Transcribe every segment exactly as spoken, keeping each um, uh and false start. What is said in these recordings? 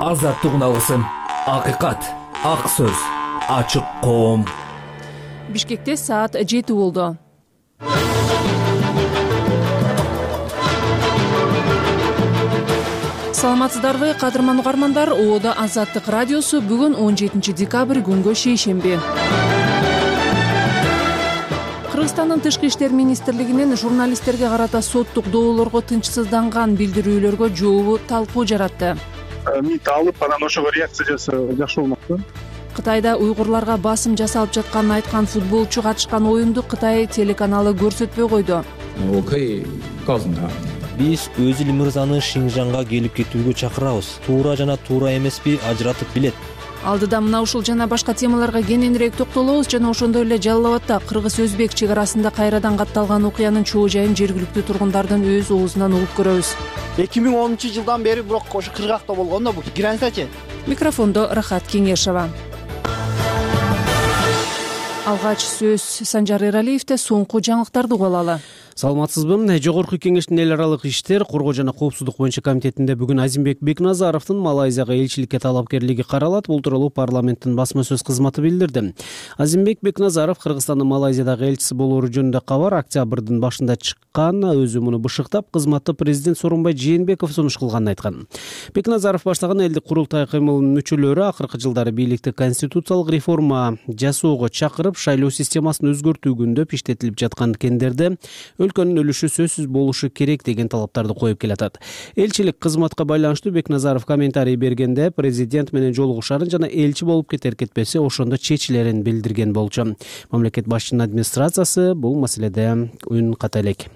азаттык алсын, акыйкат, ак сөз, ачык коом. Бишкекте саат жети болду. Саламатсыздарбы, кадырман угармандар? Оодо Азаттык радиосу бүгүн он жетинчи декабрь күнгө шейшемби. Кыргызстандын Тышкы иштер министрлигинин журналисттерге карата соттук доолорго тынчсызданган билдирүүлөргө жообу талкуу жаратты. Мит алып, анан ошого реакция жасоо жакшы болмокчу. Кытайда уйгурларга басым жасалып жатканын айткан футболчу катышкан оюнду Кытай телеканалы көрсөтпөй койду. Биз Өзүл мырзаны Шинжанга келип кетүүгө чакырабыз. Туура жана туура эмеспи ажыратып билет. Алдыда мына ушул жана башка темаларга кененирээк токтолобуз жана ошондой эле Жалал Абадта кыргыз-өзбек чек арасында кайрадан катталган окуянын чоо жайын жергиликтүү тургундардын өз оозунан угуп көрөбүз. эки миң онунчу жылдан бери бирок ошо кыргакта болгон да бул границачы. Микрофондо Рахат Кеңешова. Алгач сөз Санжар Эралиевде, соңку жаңылыктарды угуп алалы. Саламатсызбы? Жогорку кеңештин эл аралык иштер, коргоо жана коопсуздук боюнча комитетинде бүгүн Азимбек Бекназаровдун Малайзияга элчиликке талапкерлиги каралат. Бул тууралуу парламенттин басма сөз кызматы билдирди. Азимбек Бекназаров Кыргызстандын Малайзиядагы элчиси болоору жөнүндө кабар октябрдын башында чыккан. Өзү муну бышыктап, кызматты президент Сооронбай Жээнбеков сунуш кылганын айткан. Бекназаров баштаган элдик курултай кыймылынын мүчөлөрү акыркы жылдары бийликти конституциялык реформа жасоого чакырып, шайлоо системасын өзгөртүү күндөп иштетилип жаткан кендерде өлкөнүн өлүшү сөзсүз болушу керек деген талаптарды коюп келатат. Элчилик кызматка байланыштуу Бекназаров комментарий бергенде президент менен жолугушарын жана элчи болуп кетер кетпесе ошондо чечилерин билдирген болчу. Мамлекет башчынын администрациясы бул маселеде үн ката элек.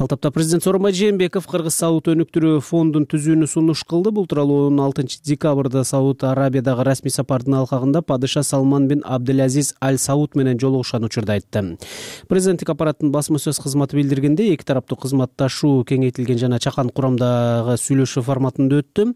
Ал тапта президент Сооронбай Жээнбеков Кыргыз Сауд өнүктүрүү фондун түзүүнү сунуш кылды. Бул тууралуу он алтынчы декабрда Сауд Арабиядагы расмий сапардын алкагында падыша Салман бин Абдулазиз Аль Сауд менен жолугушкан учурда айтты. Президенттик аппараттын басма сөз кызматы билдиргенде, эки тараптуу кызматташуу кеңейтилген жана чакан курамдагы сүйлөшүү форматында өттү.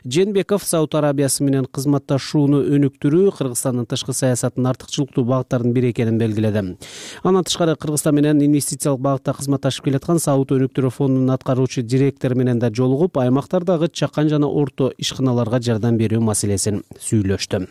Жээнбеков Сауд Арабиясы менен кызматташууну өнүктүрүү Кыргызстандын тышкы саясатынын артыкчылыктуу багыттарынын бири экенин белгиледи. Андан тышкары Кыргызстан менен инвестициялык багытта кызматташып келаткан Сауд өнүктүрүү фондунун аткаруучу директору менен да жолугуп, аймактардагы чакан жана орто ишканаларга жардам берүү маселесин сүйлөштү.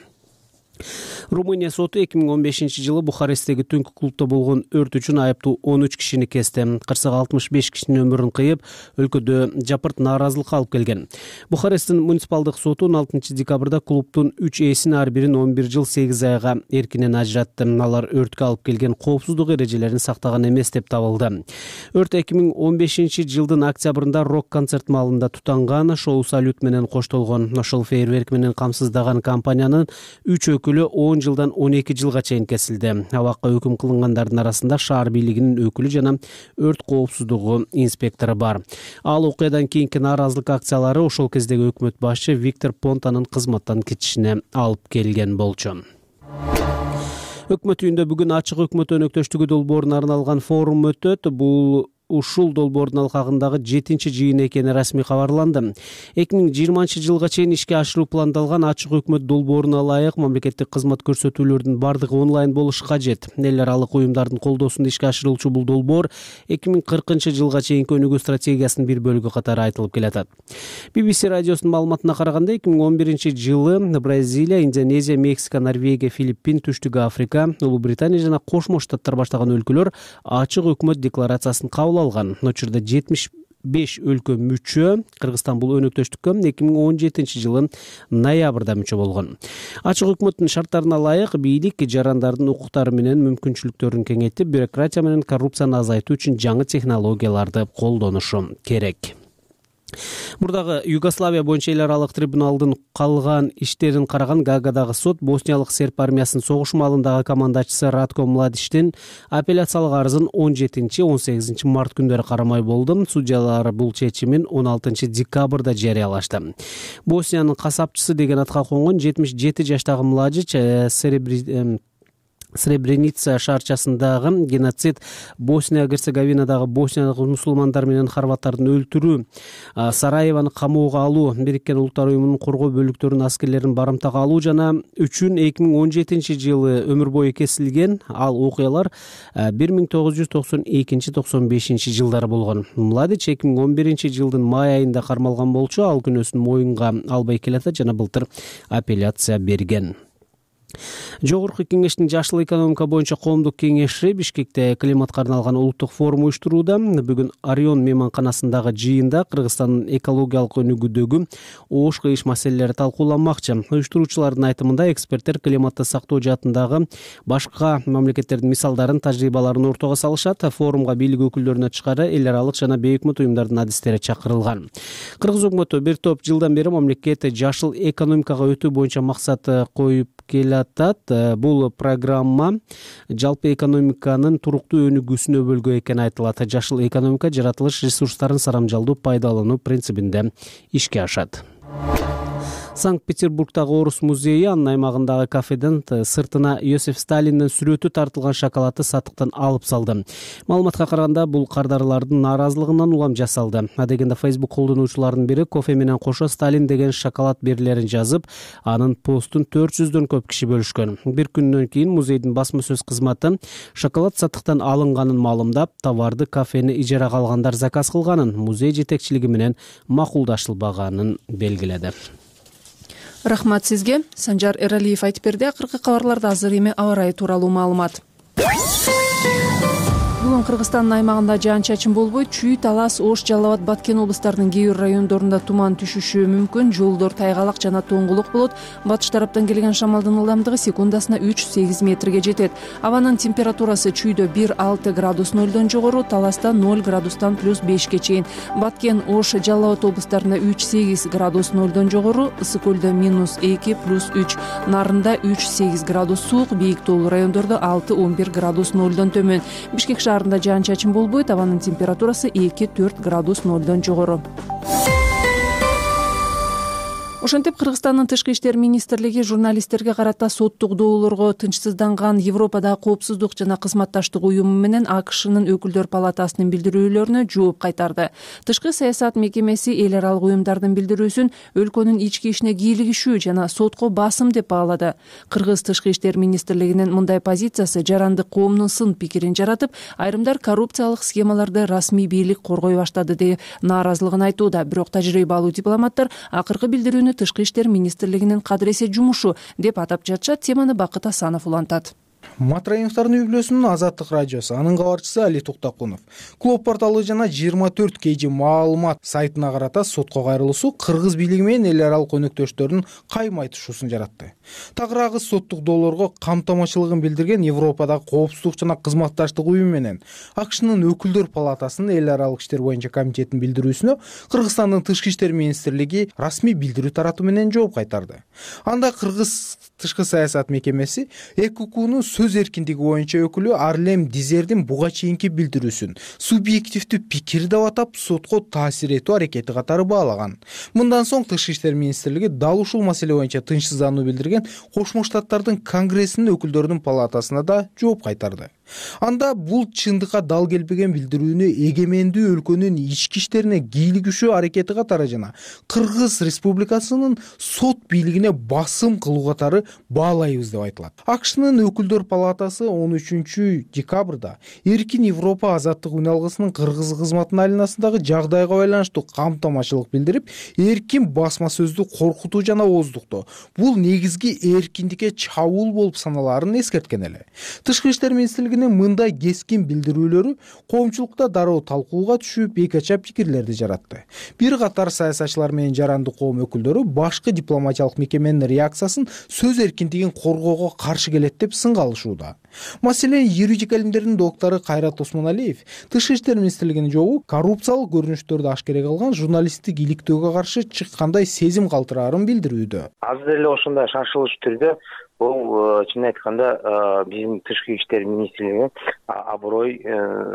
Румыния соту эки миң он бешинчи жылы Бухаресттеги түнкү клубда болгон өрт үчүн айыптуу он үч кишини кести. Кырсык алтымыш беш кишинин өмүрүн кыйып, өлкөдө жапырт нааразылыкка алып келген. Бухаресттин муниципалдык соту он алтынчы декабрда клубдун үч ээсин ар бирин он бир жыл сегиз айга эркинен ажыратты. Алар өрткө алып келген коопсуздук эрежелерин сактаган эмес деп табылды. Өрт эки миң он бешинчи жылдын октябрында рок-концерт маалында тутанган. Шоу салют менен коштолгон. Ошол фейерверк менен камсыздаган компаниянын үч өкүлү он жылдан он эки жылга чейин кесилди. Абакка өкүм кылынгандардын арасында шаар бийлигинин өкүлү жана өрт коопсуздугу инспектору бар. Ал окуядан кийинки нааразылык акциялары ошол кездеги өкмөт башчы Виктор Понтанын кызматтан кетишине алып келген болчу. Өкмөт үйүндө бүгүн ачык өкмөт өнөктөштүгү долбооруна арналган форум өтөт. Бул ушул долбоордун алкагындагы жетинчи жыйын экени расмий кабарланды. эки миң жыйырманчы жылга чейин ишке ашыруу пландалган ачык өкмөт долбооруна ылайык мамлекеттик кызмат көрсөтүүлөрдүн бардыгы онлайн болушу кажет. Эл аралык уюмдардын колдоосунда ишке ашырылчу бул долбоор эки миң кыркынчы жылга чейинки өнүгүү стратегиясынын бир бөлүгү катары айтылып келатат. би би си радиосунун маалыматына караганда эки миң он биринчи жылы Бразилия, Индонезия, Мексика, Норвегия, Филиппин, Түштүк Африка, Улуу Британия жана Кошмо Штаттар баштаган өлкөлөр ачык өкмөт декларациясын кабыл алган. Учурда жетимиш беш өлкө мүчө. Кыргызстан бул өнөктөштүккө эки миң он жетинчи жылын ноябрда мүчө болгон. Ачык өкмөттүн шарттарына ылайык бийлик жарандардын укуктары менен мүмкүнчүлүктөрүн кеңейтип, бюрократия менен коррупцияны азайтуу үчүн жаңы технологияларды колдонушу керек. Мурдагы Югославия боюнча эл аралык трибуналдын калган иштерин караган Гаагадагы сот Босниялык серб армиясынын согуш маалындагы командачысы Ратко Младичтин апелляциялык арызын он жетинчи он сегизинчи март күндөрү карамай болду. Судьялар бул чечимин он алтынчы декабрда жарыялашты. Босниянын касапчысы деген атка конгон жетимиш жети жаштагы Младич серебри Сребреница шаарчасындагы геноцид, Босния Герцеговинадагы босниялык мусулмандар менен хорваттардын өлтүрүү, Сараеваны камоого алуу, Бириккен Улуттар уюмунун коргоо бөлүктөрүнүн аскерлерин барымтага алуу жана үчүн эки миң он жетинчи жылы өмүр бою кесилген. Ал окуялар бир миң тогуз жүз токсон экинчи токсон бешинчи жылдары болгон. Младич эки миң он биринчи жылдын май айында кармалган болчу. Ал күнөөсүн моюнга албай келатат жана былтыр апелляция берген. Жогорку кеңештин жашыл экономика боюнча коомдук кеңеши Бишкекте климатка арналган улуттук форум уюштурууда. Бүгүн Орион мейманканасындагы жыйында Кыргызстандын экологиялык өнүгүүдөгү оош кыйыш маселелери талкууланмакчы. Уюштуруучулардын айтымында эксперттер климатты сактоо жаатындагы башка мамлекеттердин мисалдарын, тажрыйбаларын ортого салышат. Форумга бийлик өкүлдөрүнө тышкары эл аралык жана бейөкмөт уюмдардын адистери чакырылган. Кыргыз өкмөтү бир топ жылдан бери мамлекет жашыл экономикага өтүү боюнча максат коюп келатат. Бул программа жалпы экономиканын туруктуу өнүгүүсүнө өбөлгө экени айтылат. Жашыл экономика жаратылыш ресурстарын сарамжалдуу пайдалануу принцибинде ишке ашат. Санкт-Петербургдагы Орус музейи анын аймагындагы кафеден сыртына Иосиф Сталиндин сүрөтү тартылган шоколадты сатыктан алып салды. Маалыматка караганда бул кардарлардын нааразылыгынан улам жасалды. Адегенде Facebook колдонуучулардын бири кофе менен кошо Сталин деген шоколад берилерин жазып, анын постун төрт жүздөн көп киши бөлүшкөн. Бир күндөн кийин музейдин басма сөз кызматы шоколад сатыктан алынганын маалымдап, товарды кафени ижарага алгандар заказ кылганын, музей жетекчилиги менен макулдашылбаганын белгиледи. Рахмат сизге. Санжар Эралиев айтып берди. Акыркы кабарларда азыр эми аба ырайы тууралуу маалымат. Бүгүн Кыргызстандын аймагында жаан-чачын болбойт. Чүй, Талас, Ош, Жалал Абад, Баткен облустарынын кээ бир райондорунда туман түшүшү мүмкүн. Жолдор тайгалак жана тоңгулук болот. Батыш тараптан келген шамалдын ылдамдыгы секундасына үч сегиз метрге жетет. Абанын температурасы Чүйдө бир алты градус нөлдөн жогору, Таласта ноль градустан плюс бешке чейин. Баткен, Ош, Жалал Абад облустарында үч сегиз градус нөлдөн жогору, Ысык көлдө минус эки плюс үч, Нарында үч сегиз градус суук, бийик тоолуу райондордо алты он бир градус нөлдөн төмөн. Бишкек шаарында жаан-чачын болбойт. Абанын температурасы эки төрт градус нөлдөн жогору. Ошентип Кыргызстандын тышкы иштер министрлиги журналисттерге карата соттук доолорго тынчсызданган Европадагы коопсуздук жана кызматташтык уюму менен АКШнын өкүлдөр палатасынын билдирүүлөрүнө жооп кайтарды. Тышкы саясат мекемеси эл аралык уюмдардын билдирүүсүн өлкөнүн ички ишине кийлигишүү жана сотко басым деп баалады. Кыргыз тышкы иштер министрлигинин мындай позициясы жарандык коомдун сын пикирин жаратып, айрымдар коррупциялык схемаларды расмий бийлик коргой баштады деп нааразылыгын айтууда. Бирок тажрыйбалуу дипломаттар акыркы билдирүүнү тышкы иштер министрлигинин кадыресе жумушу деп атап жатышат. Теманы Бакыт Асанов улантат. Матраимовдордун үй-бүлөсүнүн Азаттык радиосу, анын кабарчысы Али Туктакунов Клуб порталы жана жыйырма төрт кей жи маалымат сайтына карата сотко кайрылуусу Кыргыз бийлиги менен эл аралык өнөктөштөрдүн кайма айтышуусун жаратты. Тагыраагы соттук доолорго камтамачылыгын билдирген Европадагы коопсуздук жана кызматташтык уюму менен АКШнын өкүлдөр палатасынын эл аралык иштер боюнча комитетинин билдирүүсүнө Кыргызстандын тышкы иштер министрлиги расмий билдирүү таратуу менен жооп кайтарды. Анда Кыргыз тышкы саясат мекемеси ЭКУКнун сөз эркиндиги боюнча өкүлү Арлем Дизердин буга чейинки билдирүүсүн субъективдүү пикир деп атап, сотко таасир этүү аракети катары баалаган. Мындан соң тышкы иштер министрлиги дал ушул маселе боюнча тынчсыздануу билдирген Кошмо Штаттардын Конгрессинин өкүлдөрүнүн палатасына да жооп кайтарды. Анда бул чындыкка дал келбеген билдирүүнү эгемендүү өлкөнүн ички иштерине кийлигишүү аракети катары жана Кыргыз Республикасынын сот бийлигине басым кылуу катары баалайбыз деп айтылат. АКШнын өкүлдөр палатасы он үчүнчү декабрда Эркин Европа азаттык үн алгысынын Кыргыз кызматынын айланасындагы жагдайга байланыштуу камтамачылык билдирип, эркин басма сөздү коркутуу жана ооздуктоо бул негизги эркиндикке чабуул болуп саналаарын эскерткен эле. Тышкы иштер министрлигинин мындай кескин билдирүүлөрү коомчулукта дароо талкууга түшүп, эки ача пикирлерди жаратты. Бир катар саясатчылар менен жарандык коом өкүлдөрү башкы дипломатиялык мекеменин реакциясын сөз эркиндигин коргоого каршы келет деп сынга алышууда. Маселен, юридика илимдеринин доктору Кайрат Осмоналиев тышкы иштер министрлигинин жообу коррупциялык көрүнүштөрдү ашкере кылган журналисттик иликтөөгө каршы чыккандай сезим калтыраарын билдирүүдө. Азыр эле ошондой шашылыш түрдө бул чын айтканда биздин тышкы иштер министрлиги аброй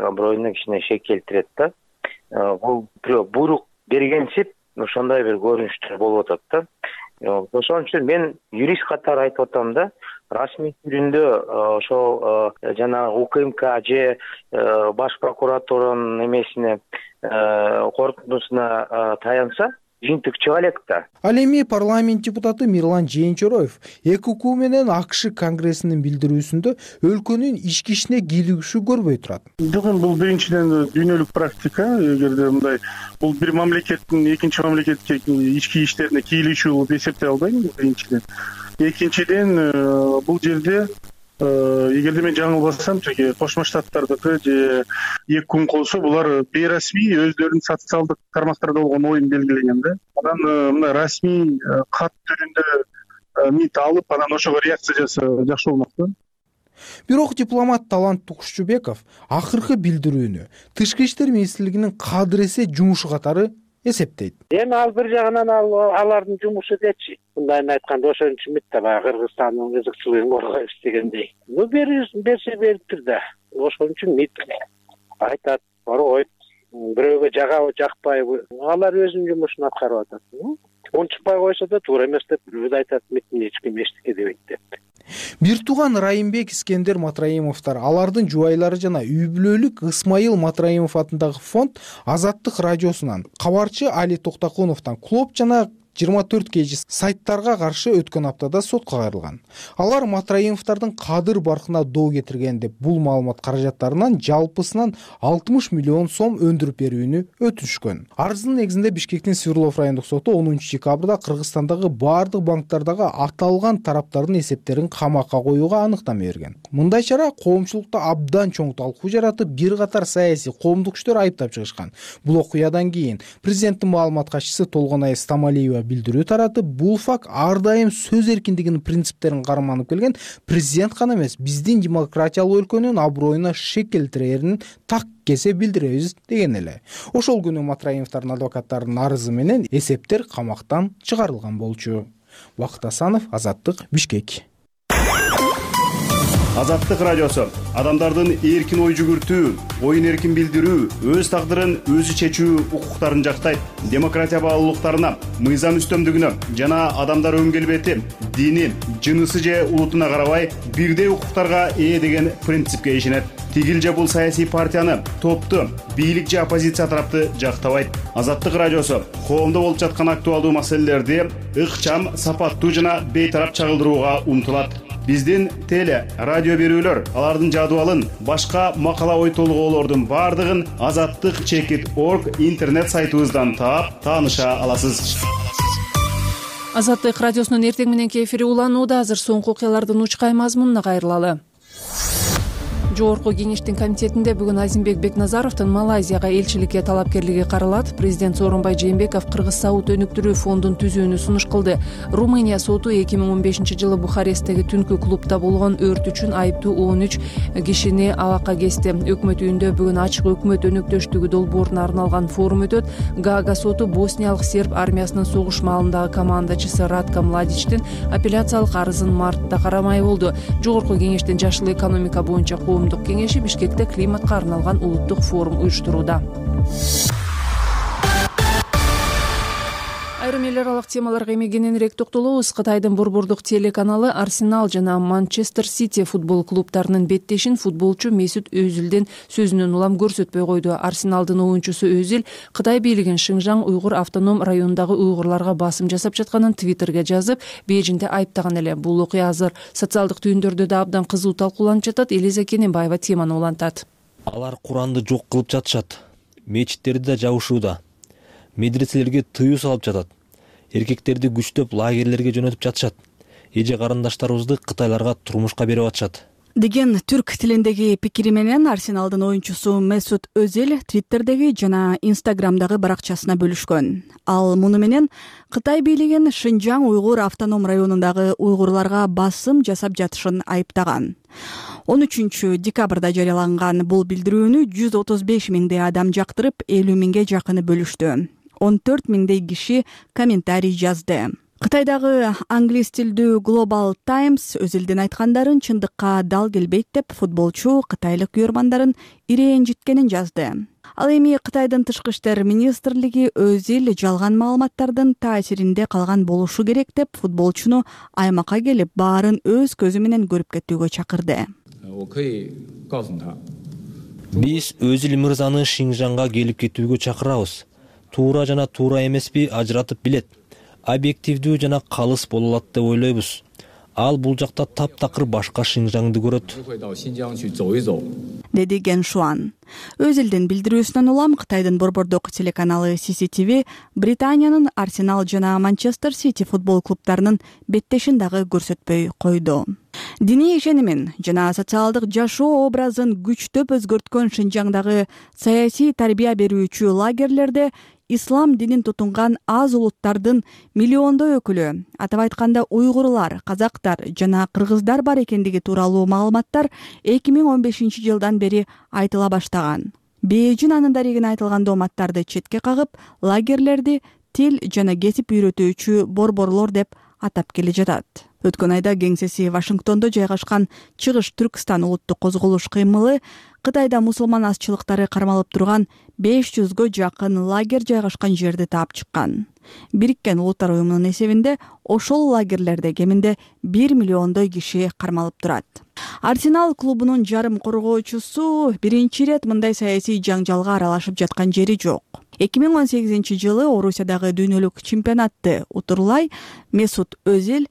аброюна кичине шек келтирет да. Бул бирөө буйрук бергенсип ошондой бир көрүнүштөр болуп атат да. Ошон үчүн мен юрист катары айтып атам да, расмий түрүндө ошол жанагы УКМК же баш прокуратуранын эмесине корутундусуна таянса жыйынтык чыга элек да. Ал эми парламент депутаты Мирлан Жээнчороев эки укук менен АКШ конгрессинин билдирүүсүндө өлкөнүн ички ишине кийлигишүү көрбөй турат. Жок, эми бул биринчиден дүйнөлүк практика. Эгерде мындай бул бир мамлекеттин экинчи мамлекетке ички иштерине кийлигишүү болуп эсептей албайм биринчиден. Экинчиден бул жерде эгерде мен жаңылбасам, жеке Кошмо Штаттардыкы же эки күн болсо булар бейрасмий өздөрүнүн социалдык тармактарда болгон оюн белгилеген да. Анан мына расмий кат түрүндө мит алып, анан ошого реакция жасаса жакшы болмок да. Бирок дипломат Талант Тукушчубеков акыркы билдирүүнү Тышкы иштер министрлигинин кадыр эсе жумушу катары эсептейт. Эми ал бир жагынан ал алардын жумушу дечи. Мындайын айтканда ошон үчүн мит да баягы Кыргызстандын кызыкчылыгын коргойбуз дегендей. Ну берсе бериптир да. Ошон үчүн мит айтат, коргойт. Бирөөгө жагабы, жакпайбы, алар өзүнүн жумушун аткарып атат. Унчукпай койсо да туура эмес деп бирөөд айтат, миттин эч ким эчтеке дебейт деп. Бир тууган Райымбек Искендер Матраимовдор, алардын жубайлары жана үй бүлөлүк Ысмайыл Матраимов атындагы фонд Азаттык радиосунан, кабарчы Али Токтокуновдон клуб жана жыйырма төрт кей жи сайттарга каршы өткөн аптада сотко кайрылган. Алар Матраимовдордун кадыр баркына доо кетирген деп бул маалымат каражаттарынан жалпысынан алтымыш миллион сом өндүрүп берүүнү өтүнүшкөн. Арыздын негизинде Бишкектин Свердлов райондук соту онунчу декабрда Кыргызстандагы баардык банктардагы аталган тараптардын эсептерин камакка коюуга анықтама берген. Мындай чара коомчулукта абдан чоң талкуу жаратып, бир катар саясий коомдук күчтөр айыптап чыгышкан. Бул окуядан кийин президенттин маалымат катчысы Толгонай Стамалиева билдирүү таратып, бул факт ар дайым сөз эркиндигинин принциптерин карманып келген президент гана эмес, биздин демократиялык өлкөнүн аброюна шек келтирээрин так кесе билдиребиз деген эле. Ошол күнү Матраимовдордун адвокаттарынын арызы менен эсептер камактан чыгарылган болчу. Бакыт Асанов, Азаттык, Бишкек. Азаттык радиосу адамдардын эркин ой жүгүртүү, оюн эркин билдирүү, өз тагдырын өзү чечүү укуктарын жактайт. Демократия баалуулуктарына, мыйзам үстөмдүгүнө жана адамдар өң келбети, дини, жынысы же улутуна карабай бирдей укуктарга ээ деген принципке ишенет. Тигил же бул саясий партияны, топту, бийлик же оппозиция тарапты жактабайт. Азаттык радиосу коомдо болуп жаткан актуалдуу маселелерди ыкчам, сапаттуу жана бейтарап чагылдырууга умтулат. Биздин теле, радио берүүлөр, алардын жадыбалын, башка макала ой толгоолордун бардыгын азаттык чекит орг интернет сайтыбыздан таап, тааныша аласыз. Азаттык радиосунун эртең мененки эфири уланууда. Азыр соңку окуялардын учкай мазмунуна кайрылалы. Жогорку кеңештин комитетинде бүгүн Азимбек Бекназаровдун Малайзияга элчиликке талапкерлиги каралат. Президент Сооронбай Жээнбеков Кыргыз саут өнүктүрүү фондун түзүүнү сунуш кылды. Румыния соту эки миң он бешинчи жылы Бухаресттеги түнкү клубда болгон өрт үчүн айыптуу он үч кишини абакка кести. Өкмөт үйүндө бүгүн ачык өкмөт өнөктөштүгү долбооруна арналган форум өтөт. Гаага соту босниялык серб армиясынын согуш маалындагы командачысы Ратко Младичтин апелляциялык арызын мартта карамай болду. Жогорку кеңештин жашыл экономика боюнча кеңеши Бишкекте климатка арналган улуттук форум уюштурууда. Айрым эл аралык темаларга эми кененирээк токтолобуз. Кытайдын борбордук телеканалы Арсенал жана Манчестер Сити футбол клубтарынын беттешин футболчу Месут Өзүлдүн сөзүнөн улам көрсөтпөй койду. Арсеналдын оюнчусу Өзүл Кытай бийлигин Шинжаң уйгур автоном районундагы уйгурларга басым жасап жатканын Твиттерге жазып, Бейжиңде айыптаган эле. Бул окуя азыр социалдык түйүндөрдө да абдан кызуу талкууланып жатат. Элиза Кененбаева теманы улантат. Алар Куранды жок кылып жатышат. Мечиттерди да жабышууда. Медреселерге тыюу салып жатат. Эркектерди күчтөп лагерлерге жөнөтүп жатышат. Эже карындаштарыбызды кытайларга турмушка берип атышат деген түрк тилиндеги пикири менен Арсеналдын оюнчусу Месут Өзүл Твиттердеги жана Инстаграмдагы баракчасына бөлүшкөн. Ал муну менен Кытай бийлигин Шинжаң уйгур автоном районундагы уйгурларга басым жасап жатышын айыптаган. он үчүнчү декабрда жарыяланган бул билдирүүнү жүз отуз беш миңдей адам жактырып, элүү миңге жакыны бөлүштү. он төрт миңдей киши комментарий жазды. Кытайдагы англис тилдүү Global Times Өзүлдүн айткандарын чындыкка дал келбейт деп футболчу кытайлык күйөрмандарын ирээжиткенин жазды. Ал эми Кытайдын тышкы иштер министрлиги өз эл жалган маалыматтардын таасиринде калган болушу керек деп футболчуну аймакка келип баарын өз көзү менен көрүп кетүүгө чакырды. Биз өз эл мырзаны Шинжаңга келип кетүүгө чакырабыз. Туура жана туура эмеспи ажыратып билет. Объективдүү жана калыс боло алат деп ойлойбуз. Ал бул жакта таптакыр башка Шинжаңды көрөт, деди Ген Шуан. Өз элдин билдирүүсүнөн улам Кытайдын борбордук телеканалы Си Си Ти Ви Британиянын Арсенал жана Манчестер Сити футбол клубтарынын беттешин дагы көрсөтпөй койду. Диний ишенимин жана социалдык жашоо образын күчтөп өзгөрткөн Шинжаңдагы саясий тарбия берүүчү лагерлерде ислам динин тутунган аз улуттардын миллиондой өкүлү, атап айтканда уйгурлар, казактар жана кыргыздар бар экендиги тууралуу маалыматтар эки миң он бешинчи жылдан бери айтыла баштаган. Бээжин анын дарегине айтылган дооматтарды четке кагып, лагерлерди тил жана кесип үйрөтүүчү борборлор деп атап келе жатат. Өткөн айда кеңсеси Вашингтондо жайгашкан Чыгыш Түркстан улуттук козголуш кыймылы Кытайда мусулман азчылыктары кармалып турган беш жүзгө жакын лагерь жайгашкан жерди таап чыккан. Бириккен Улуттар уюмунун эсебинде ошол лагерлерде кеминде бир миллиондой киши кармалып турат. Арсенал клубунун жарым коргоочусу биринчи ирет мындай саясий жаңжалга аралашып жаткан жери жок. эки миң он сегизинчи жылы Орусиядагы дүйнөлүк чемпионатты утурлай Месут Өзил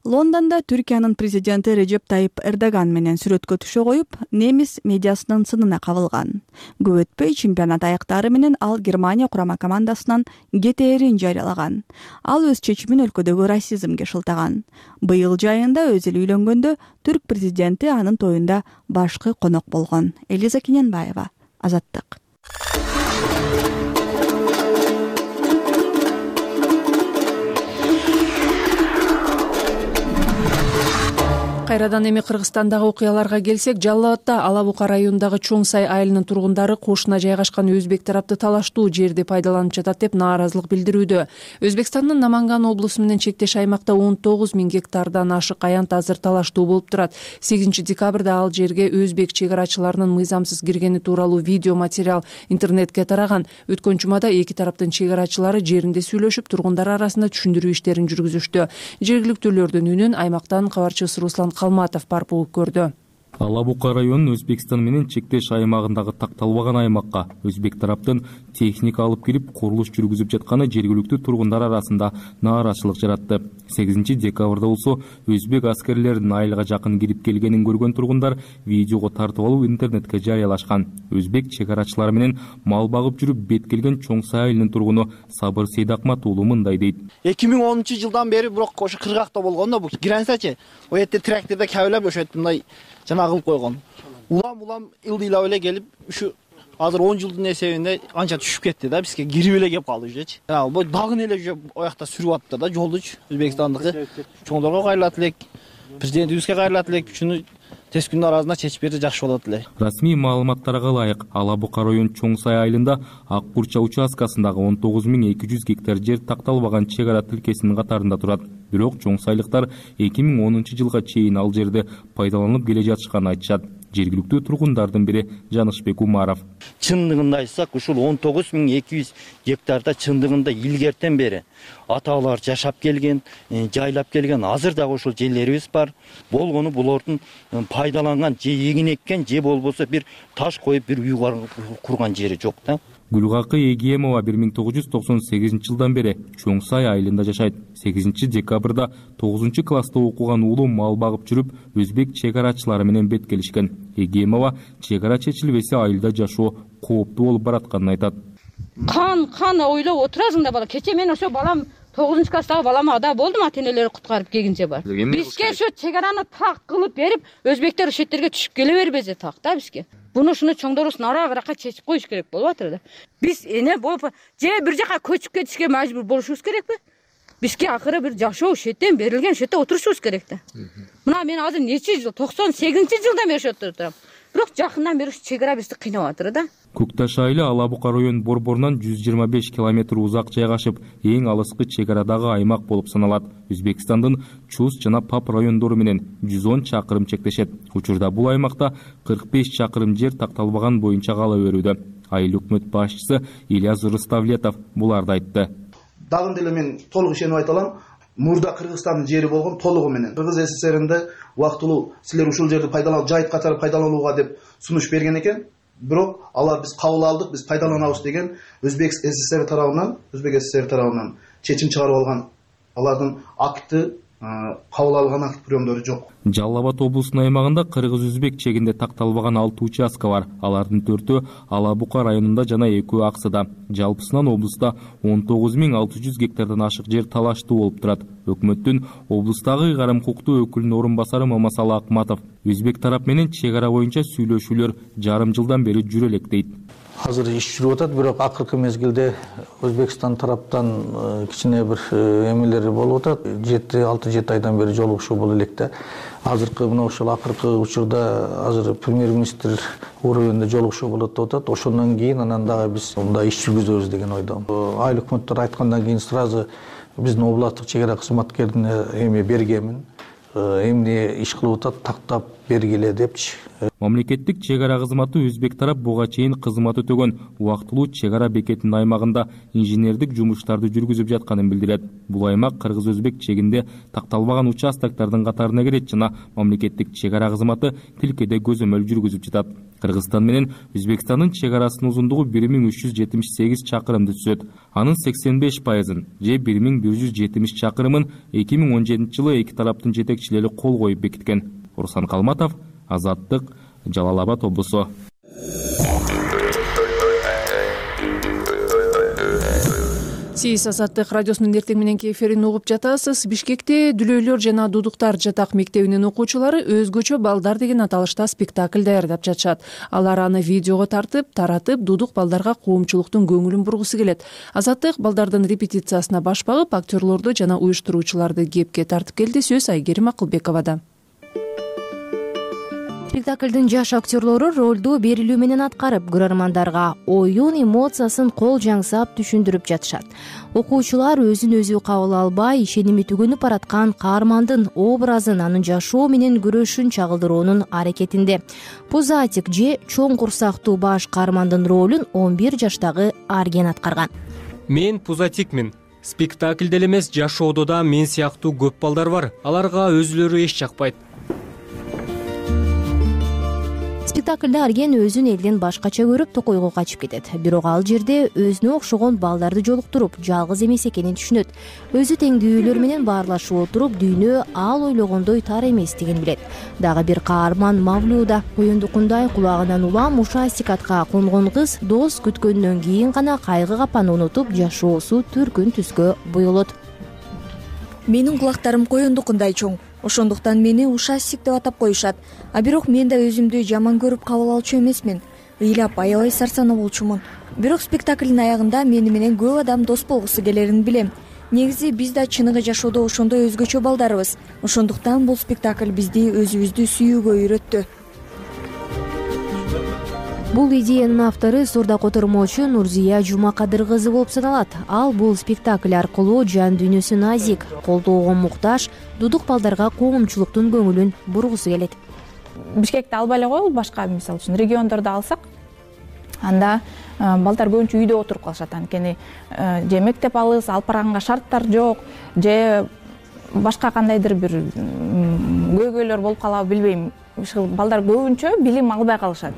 Лондонда Түркиянын президенти Режеп Тайип Эрдоган менен сүрөткө түшө коюп, немис медиасынын сынына кабылган. Көп өтпөй чемпионат аяктары менен ал Германия курама командасынан кетээрин жарыялаган. Ал өз чечимин өлкөдөгү расизмге шылтаган. Быйыл жайында Өзил үйлөнгөндө түрк президенти анын тоюнда башкы конок болгон. Элиза Кененбаева, Азаттык. Кайрадан эми Кыргызстандагы окуяларга келсек, Жалал Абадда Ала Бука районундагы Чоң Сай айылынын тургундары кошуна жайгашкан өзбек тарапты талаштуу жерди пайдаланып жатат деп нааразылык билдирүүдө. Өзбекстандын Наманган облусу менен чектеш аймакта он тогуз миң гектардан ашык аянт азыр талаштуу болуп турат. сегизинчи декабрда ал жерге өзбек чек арачыларынын мыйзамсыз киргени тууралуу видео материал интернетке тараган. Өткөн жумада эки тараптын чек арачылары жеринде сүйлөшүп, тургундар арасында түшүндүрүү иштерин жүргүзүштү. Жергиликтүүлөрдүн үнүн аймактан кабарчыбыз Руслан Калматов барып угуп көрдү. Ала Бука районунун Өзбекстан менен чектеш аймагындагы такталбаган аймакка өзбек тараптын техника алып келип курулуш жүргүзүп жатканы жергиликтүү тургундар арасында нааразычылык жаратты. сегизинчи декабрда болсо өзбек аскерлеринин айылга жакын кирип келгенин көргөн тургундар видеого тартып алып интернетке жарыялашкан. Өзбек чек арачылары менен мал багып жүрүп бет келген Чоң Сай айылынын тургуну Сабыр Сейдакмат уулу мындай дейт. эки миң онунчу жылдан бери бирок ошо кыргакта болгон да, бул границачы. О жерде тракторда кабылап ошо мындай жана кылып койгон. Улам улам ылдыйлап эле келип, ушу азыр он жылдын эсебинде анча түшүп кетти да, бизге кирип эле кеп калды уже. Ал бу дагы эле уже оякта сүрүп аттыр да жолдучу. Өзбекстандыкы чоңдорго кайрылат элек, президентибизге кайрылат элек, ушуну тез күндүн арасында чечип берсе жакшы болот эле. Расмий маалыматтарга ылайык, Ала Бука районунун Чоң Сай айылында Ак Курча участкасындагы он тогуз миң эки жүз гектар жер такталбаган чек ара тилкесинин катарында турат. Бирок Чоң Сайлыктар эки миң онунчу жылга чейин ал жерди пайдаланып келе жатышканын айтышат. Жергиликтүү тургундардын бири Жанышбек Умаров. Чындыгында айтсак, ушул он тогуз миң эки жүз гектарда чындыгында илгертен бери аталар жашап келген, жайлап келген, азыр дагы ошол жерлерибиз бар. Болгону булардын пайдаланган же эгин эккен, же болбосо бир таш коюп бир үй курган жери жок да. Гүлгакы Эгиемова бир миң тогуз жүз токсон сегизинчи жылдан бери Чоң Сай айылында жашайт. сегизинчи декабрда тогузунчу класста окуган уулу мал багып жүрүп, өзбек чек арачылары менен бет келишкен. Эгиемова чек ара чечилбесе айылда жашоо кооптуу болуп баратканын айтат. Кан кан ойлоп отурасың да бала. Кече мен ошо балам тогузунчу класстагы балама ада болдум, ата-энелери куткарып келгенче бар. Бизге ошо чек араны так кылып берип, өзбектер ошол жерге түшүп келе бербесе так да бизге. Буну ушуну чоңдорубуз нарагыраакка чечип коюш керек болуп атыр да. Биз эне болуп же бир жака көчүп кетишке мажбур болушубуз керекпи? Бизге акыры бир жашоо ушул жерден берилген, ушул жерде отурушубуз керек да. Мына мен азыр нече жыл, токсон сегизинчи жылдан бери ошол жерде турам. Бирок жакындан бери чек ара бизди кыйнап атыр да. Көкташ айылы Ала Бука районунун борборунан жүз жыйырма беш километр узак жайгашып, эң алыскы чек арадагы аймак болуп саналат. Өзбекстандын Чус жана Пап райондору менен жүз он чакырым чектешет. Учурда бул аймакта кырк беш чакырым жер такталбаган боюнча кала берүүдө. айыл өкмөт башчысы Ильяс Руставлетов буларды айтты. Дагы деле мен толук ишенип айта алам. Мурда Кыргызстандын жери болгон толугу менен. Кыргыз СССРинде убактылуу силер ушул жерди пайдалануу, жайыт катары пайдаланууга деп сунуш берген экен. Бирок алар биз кабыл алдык, биз пайдаланабыз деген Өзбек СССР тарабынан, Өзбек СССР тарабынан чечим чыгарып алган алардын акты, кабыл алган акт приемдору жок. Жалал Абад облусунун аймагында кыргыз-өзбек чегинде такталбаган алты участка бар. Алардын төртөө Ала Бука районунда жана экөө Аксыда. Жалпысынан облуста он тогуз миң алты жүз гектардан ашык жер талаштуу болуп турат. Өкмөттүн облустагы ыйгарым укуктуу өкүлүнүн орун басары Мамасалы Акматов өзбек тарап менен чек ара боюнча сүйлөшүүлөр жарым жылдан бери жүрө элек дейт. Азыр иш жүрүп атат, бирок акыркы мезгилде Өзбекстан тараптан кичине бир эмелер болуп атат. жети алты жети айдан бери жолугушуу болуп элек да. Азыркы мына ошол акыркы учурда азыр премьер-министр уровенде жолугушуу болот деп атат. Ошондон кийин анан дагы биз мындай иш жүргүзөбүз деген ойдомун. Айыл өкмөттөр айткандан кийин сразу биздин областтык чек ара кызматкерине эми бергенмин. Эмне иш кылып атат, тактап бергиле депчи. Мамлекеттик чек ара кызматы өзбек тарап буга чейин кызмат өтөгөн убактылуу чек ара бекетинин аймагында инженердик жумуштарды жүргүзүп жатканын билдирет. Бул аймак кыргыз-өзбек чегинде такталбаган участоктардын катарына кирет жана мамлекеттик чек ара кызматы тилкеде көзөмөл жүргүзүп жатат. Кыргызстан менен Өзбекстандын чек арасынын узундугу бир миң үч жүз жетимиш сегиз чакырымды түзөт. Анын сексен беш пайызын же бир миң бир жүз жетимиш чакырымын эки миң он жетинчи жылы эки тараптын жетекчилери кол коюп бекиткен. Руслан Калматов, Азаттык, Жалал Абад облусу. Сиз Азаттык радиосунун эртең мененки эфирин угуп жатасыз. Бишкекте Дүлөйлөр жана Дудуктар жатак мектебинин окуучулары өзгөчө балдар деген аталышта спектакль даярдап жатышат. Алар аны видеого тартып, таратып, дудук балдарга коомчулуктун көңүлүн бургусу келет. Азаттык балдардын репетициясына баш багып, актерлорду жана уюштуруучуларды кепке тартып келди. Сөз Айгерим Акылбековада. Спектаклдын жаш актерлору ролду берилүү менен аткарып, көрөрмандарга оюн эмоциясын кол жаңсап түшүндүрүп жатышат. Окуучулар өзүн өзү кабыл албай, ишеними түгөнүп бараткан каармандын образын, анын жашоо менен күрөшүн чагылдыруунун аракетинде. Пузатик же чоң курсактуу баш каармандын ролун он бир жаштагы Арген аткарган. Мен Пузатикмин. Спектаклде эле эмес, жашоодо да мен сыяктуу көп балдар бар. Аларга өзүлөрү эч жакпайт. Спектаклда Арген өзүн элден башкача көрүп токойго качып кетет. Бирок ал жерде өзүнө окшогон балдарды жолуктуруп, жалгыз эмес экенин түшүнөт. Өзү теңдүүлөр менен баарлашып отуруп, дүйнө ал ойлогондой тар эместигин билет. Дагы бир каарман Мавлюда коюндукундай кулагынан улам ушастик атка конгон кыз дос күткөндөн кийин гана кайгы капаны унутуп, жашоосу төркүн түскө буйулот. Менин кулактарым коюндукундай чоң. Ошондуктан мени ушастик деп атап коюшат. А бирок мен да өзүмдү жаман көрүп кабыл алчу эмесмин. Ыйлап аябай сарсанаа болчумун. Бирок спектаклдин аягында мени менен көп адам дос болгусу келерин билем. Негизи биз да чыныгы жашоодо ошондой өзгөчө балдарбыз. Ошондуктан бул спектакль бизди өзүбүздү сүйүүгө үйрөттү. Бул идеянын автору Сорда котормочу Нурзия Жумакадыр кызы болуп саналат. Ал бул спектакль аркылуу жан дүйнөсү назик, колдоого муктаж, дудук балдарга коомчулуктун көңүлүн бургусу келет. Бишкекти албай эле коелу, башка мисалы үчүн региондорду алсак, анда балдар көбүнчө үйдө отуруп калышат. Анткени же мектеп алыс, алып барганга шарттар жок, же башка кандайдыр бир көйгөйлөр болуп калабы билбейм. Балдар көбүнчө билим албай калышат.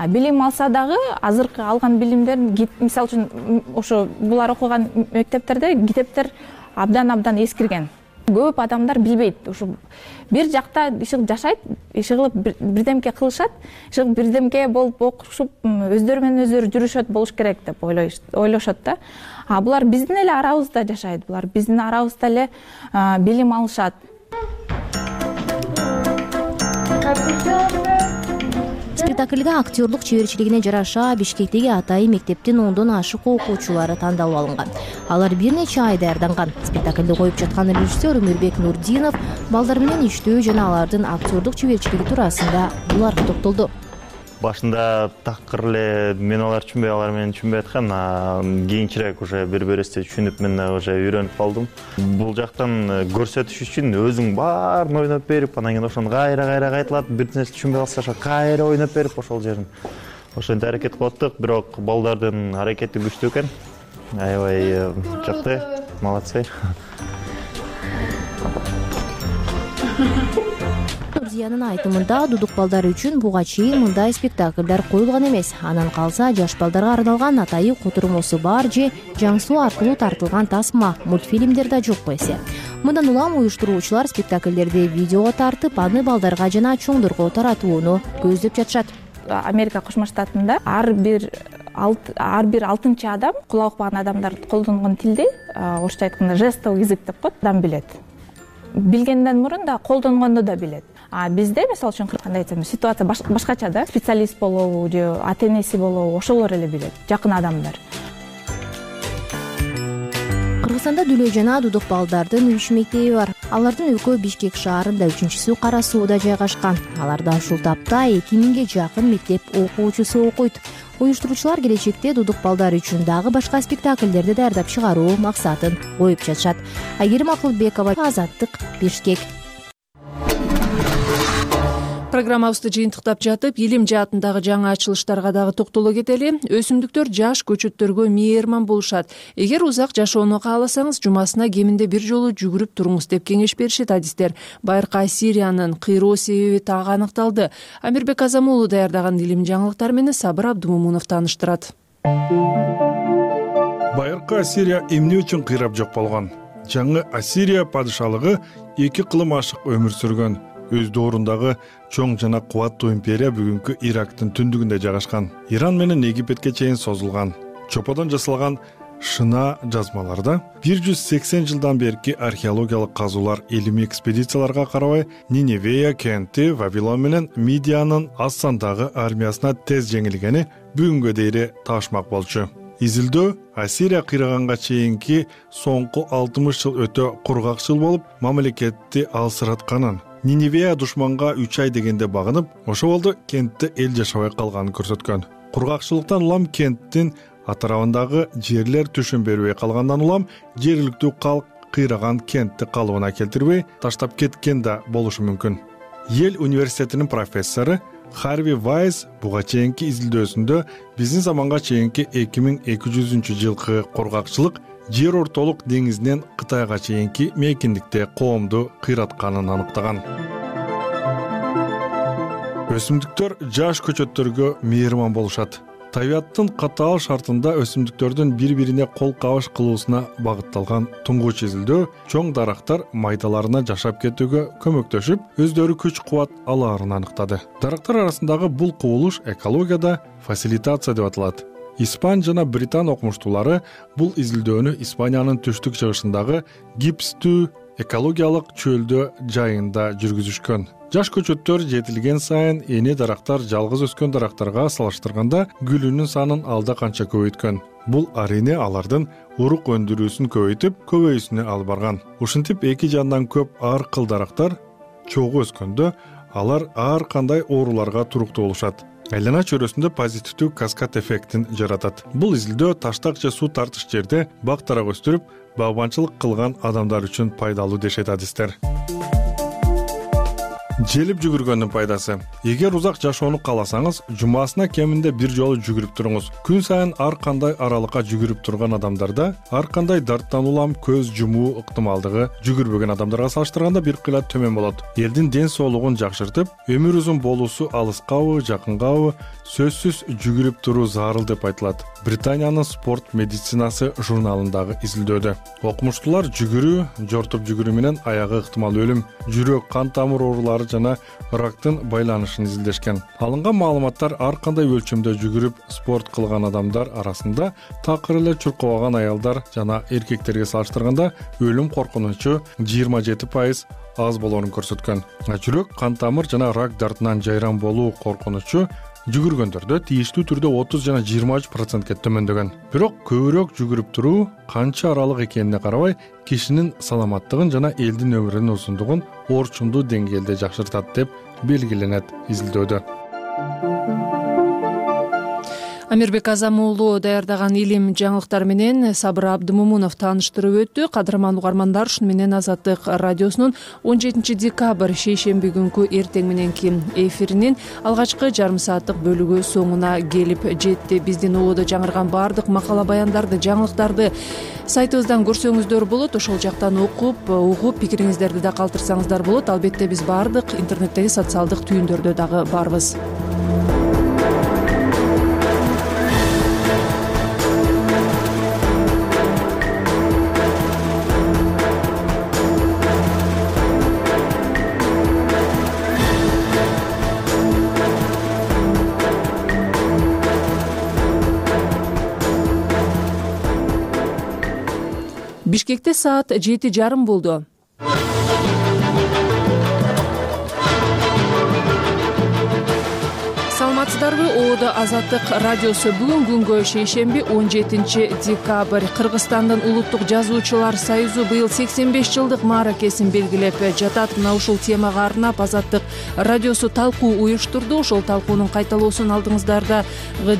Билим алса дагы азыркы алган билимдер, мисалы үчүн ошо булар окуган мектептерде китептер абдан-абдан эскирген. Көп адамдар билбейт. Ошо бир жакта иши жашайт, иши кылып бирдемке кылышат, иши бирдемке болуп окушуп, өздөрү менен өздөрү жүрүшөт болуш керек деп ойлошот да. А булар биздин эле арабызда жашайт, булар биздин арабызда эле билим алышат. Спектакльге актерлук чеберчилигине жараша Бишкектеги Атайы мектептин ондон ашык окуучулары тандалып алынган. Алар бир нече ай даярданган. Спектакльди коюп жаткан режиссер Өмүрбек Нурдинов балдар менен иштөө жана алардын актерлук чеберчилиги туурасында буларга токтолду. Башында такыр эле мен алар түшүнбөй, алар мени түшүнбөй аткан, кийинчерээк уже бири-бирибизди түшүнүп, мен уже үйрөнүп калдым. Бул жактан көрсөтүш үчүн өзүң баарын ойноп берип, анан кийин ошону кайра-кайра кайталап, бир нерсе түшүнбөй калса, кайра ойноп берип ошол жерин. ошентип аракет кылып аттык, бирок балдардын аракети күчтүү экен. Аябай жакты, молодцы. Нурзиянын айтымында дудук балдар үчүн буга чейин мындай спектакльдар коюлган эмес. Анан калса жаш балдарга арналган атайы котурмосу бар же жаңсуу аркылуу тартылган тасма мультфильмдер да жокко эсе. Мындан улам уюштуруучулар спектакльдерди видеого тартып, аны балдарга жана чоңдорго таратууну көздөп жатышат. Америка Кошмо Штатында ар бир ар бир алтынчы адам кулак укпаган адамдар колдонгон тилди, орусча айтканда жестовый язык деп коет, адам билет. Билгенден мурун да колдонгонду да билет. А бизде мисалы үчүн кандай айтсам, ситуация башкача да. Специалист болобу же ата-энеси болобу, ошолор эле билет, жакын адамдар. Кыргызстанда Дүлөй жана Дудук балдардын үч мектеби бар. Алардын экөө Бишкек шаарында, үчүнчүсү Кара Сууда жайгашкан. Аларда ушул тапта эки миңге жакын мектеп окуучусу окуйт. Уюштуруучулар келечекте дудук балдар үчүн дагы башка спектакльдерди даярдап чыгаруу максатын коюп жатышат. Айгерим Акылбекова, Азаттык, Бишкек. Программабызды жыйынтыктап жатып, илим жаатындагы жаңы ачылыштарга дагы токтоло кетели. Өсүмдүктөр жаш көчөттөргө мээрман болушат. Эгер узак жашоону кааласаңыз, жумасына кеминде бир жолу жүгүрүп туруңуз деп кеңеш беришет адистер. Байыркы Сириянын кыйроо себеби так аныкталды. Амирбек Азамуулу даярдаган илим жаңылыктары менен Сабыр Абдумумунов тааныштырат. Байыркы Ассирия эмне үчүн кыйрап жок болгон? Жаңы Ассирия падышалыгы эки кылым ашык өмүр сүргөн. Өз доорундагы чоң жана кубаттуу империя бүгүнкү Ирактын түндүгүндө жайгашкан. Иран менен Египетке чейин созулган. Чоподон жасалган шына жазмаларда бир жүз сексен жылдан берки археологиялык казуулар илимий экспедицияларга карабай Ниневея кенти Вавилон менен Мидиянын аз сандагы армиясына тез жеңилгени бүгүнгө дейре таашмак болчу. Изилдөө Ассирия кыйраганга чейинки соңку алтымыш жыл өтө кургакчыл болуп, мамлекетти алсыратканын, Ниневея душманга үч ай дегенде багынып, ошол болду кентте эл жашабай калганын көрсөткөн. Кургакчылыктан улам кенттин атарабындагы жерлер түшүн бербей калгандан улам жергиликтүү калк кыйраган кентти калыбына келтирбей таштап кеткен да болушу мүмкүн. Ел университетинин профессору Харви Вайс буга чейинки изилдөөсүндө биздин заманга чейинки эки миң эки жүзүнчү жылкы кургакчылык жер ортолук деңизинен Кытайга чейинки мейкиндикте коомду кыйратканын аныктаган. Өсүмдүктөр жаш көчөттөргө мээрман болушат. Табиаттын катаал шартында өсүмдүктөрдүн бири-бирине кол кабыш кылуусуна багытталган туңгуч изилдөө чоң дарактар майдаларына жашап кетүүгө көмөктөшүп, өздөрү күч-кубат алаарын аныктады. Дарактар арасындагы бул кубулуш экологияда фасилитация деп аталат. Испан жана Британ окумуштуулары бул изилдөөнү Испаниянын түштүк-чыгышындагы гипстүү экологиялык чөлдө жайында жүргүзүшкөн. Жаш көчөттөр жетилген сайын эне дарактар жалгыз өскөн дарактарга салыштырганда гүлүнүн санын алда канча көбөйткөн. Бул арине алардын урук өндүрүүсүн көбөйтүп, көбөйүүсүнө алып барган. Ушинтип эки жандан көп ар кыл дарактар чогуу өскөндө алар ар кандай ооруларга туруктуу болушат. Айлана чөйрөсүндө позитивдүү каскад эффектин жаратат. Бул изилдөө таштак же суу тартыш жерде бак дарак өстүрүп, багбанчылык кылган адамдар үчүн пайдалуу дешет адистер. Желип жүгүргөндүн пайдасы. Эгер узак жашоону кааласаңыз, жумасына кеминде бир жолу жүгүрүп туруңуз. Күн сайын ар кандай аралыкка жүгүрүп турган адамдарда ар кандай дарттан улам көз жумуу ыктымалдыгы жүгүрбөгөн адамдарга салыштырганда бир кыйла төмөн болот. Элдин ден соолугун жакшыртып, өмүр узун болуусу алыскабы, жакынгабы сөзсүз жүгүрүп туруу зарыл деп айтылат. Британиянын спорт медицинасы журналындагы изилдөөдө окумуштуулар жүгүрүү, жортуп жүгүрүү менен аягы ыктымал өлүм, жүрөк, кан тамыр оорулары жана рактын байланышын изилдешкен. Алынган маалыматтар ар кандай өлчөмдө жүгүрүп спорт кылган адамдар арасында такыр эле чуркабаган аялдар жана эркектерге салыштырганда өлүм коркунучу жыйырма жети пайыз аз болоорун көрсөткөн. Жүрөк, кан тамыр жана рак дартынан жайран болуу коркунучу жүгүргөндөрдө тийиштүү түрдө отуз жана жыйырма үч процентке төмөндөгөн. Бирок көбүрөөк жүгүрүп туруу канча аралык экенине карабай кишинин саламаттыгын жана элдин өмүрүнүн узундугун орчундуу деңгээлде жакшыртат деп белгиленет изилдөөдө. Амирбек Азам уулу даярдаган илим жаңылыктар менен Сабыр Абдымомунов тааныштырып өттү. Кадырман угармандар, ушуну менен Азаттык радиосунун он жетинчи декабрь шейшемби күнкү эртең мененки эфиринин алгачкы жарым сааттык бөлүгү соңуна келип жетти. Биздин ободо жаңырган баардык макала баяндарды, жаңылыктарды сайтыбыздан көрсөңүздөр болот. Ошол жактан окуп, угуп, пикириңиздерди да калтырсаңыздар болот. Албетте биз баардык интернеттеги социалдык түйүндөрдө дагы барбыз. Бишкекте саат жети жарым болду. Саламатсыздарбы? Ободо Азаттык радиосу бүгүн күнгө шейшемби он жетинчи декабрь. Кыргызстандын Улуттук жазуучулар союзу быйыл сексен беш жылдык мааракесин белгилеп жатат. Мына ушул темага арнап Азаттык радиосу талкуу уюштурду. Ошол талкуунун кайталоосун алдыңыздарда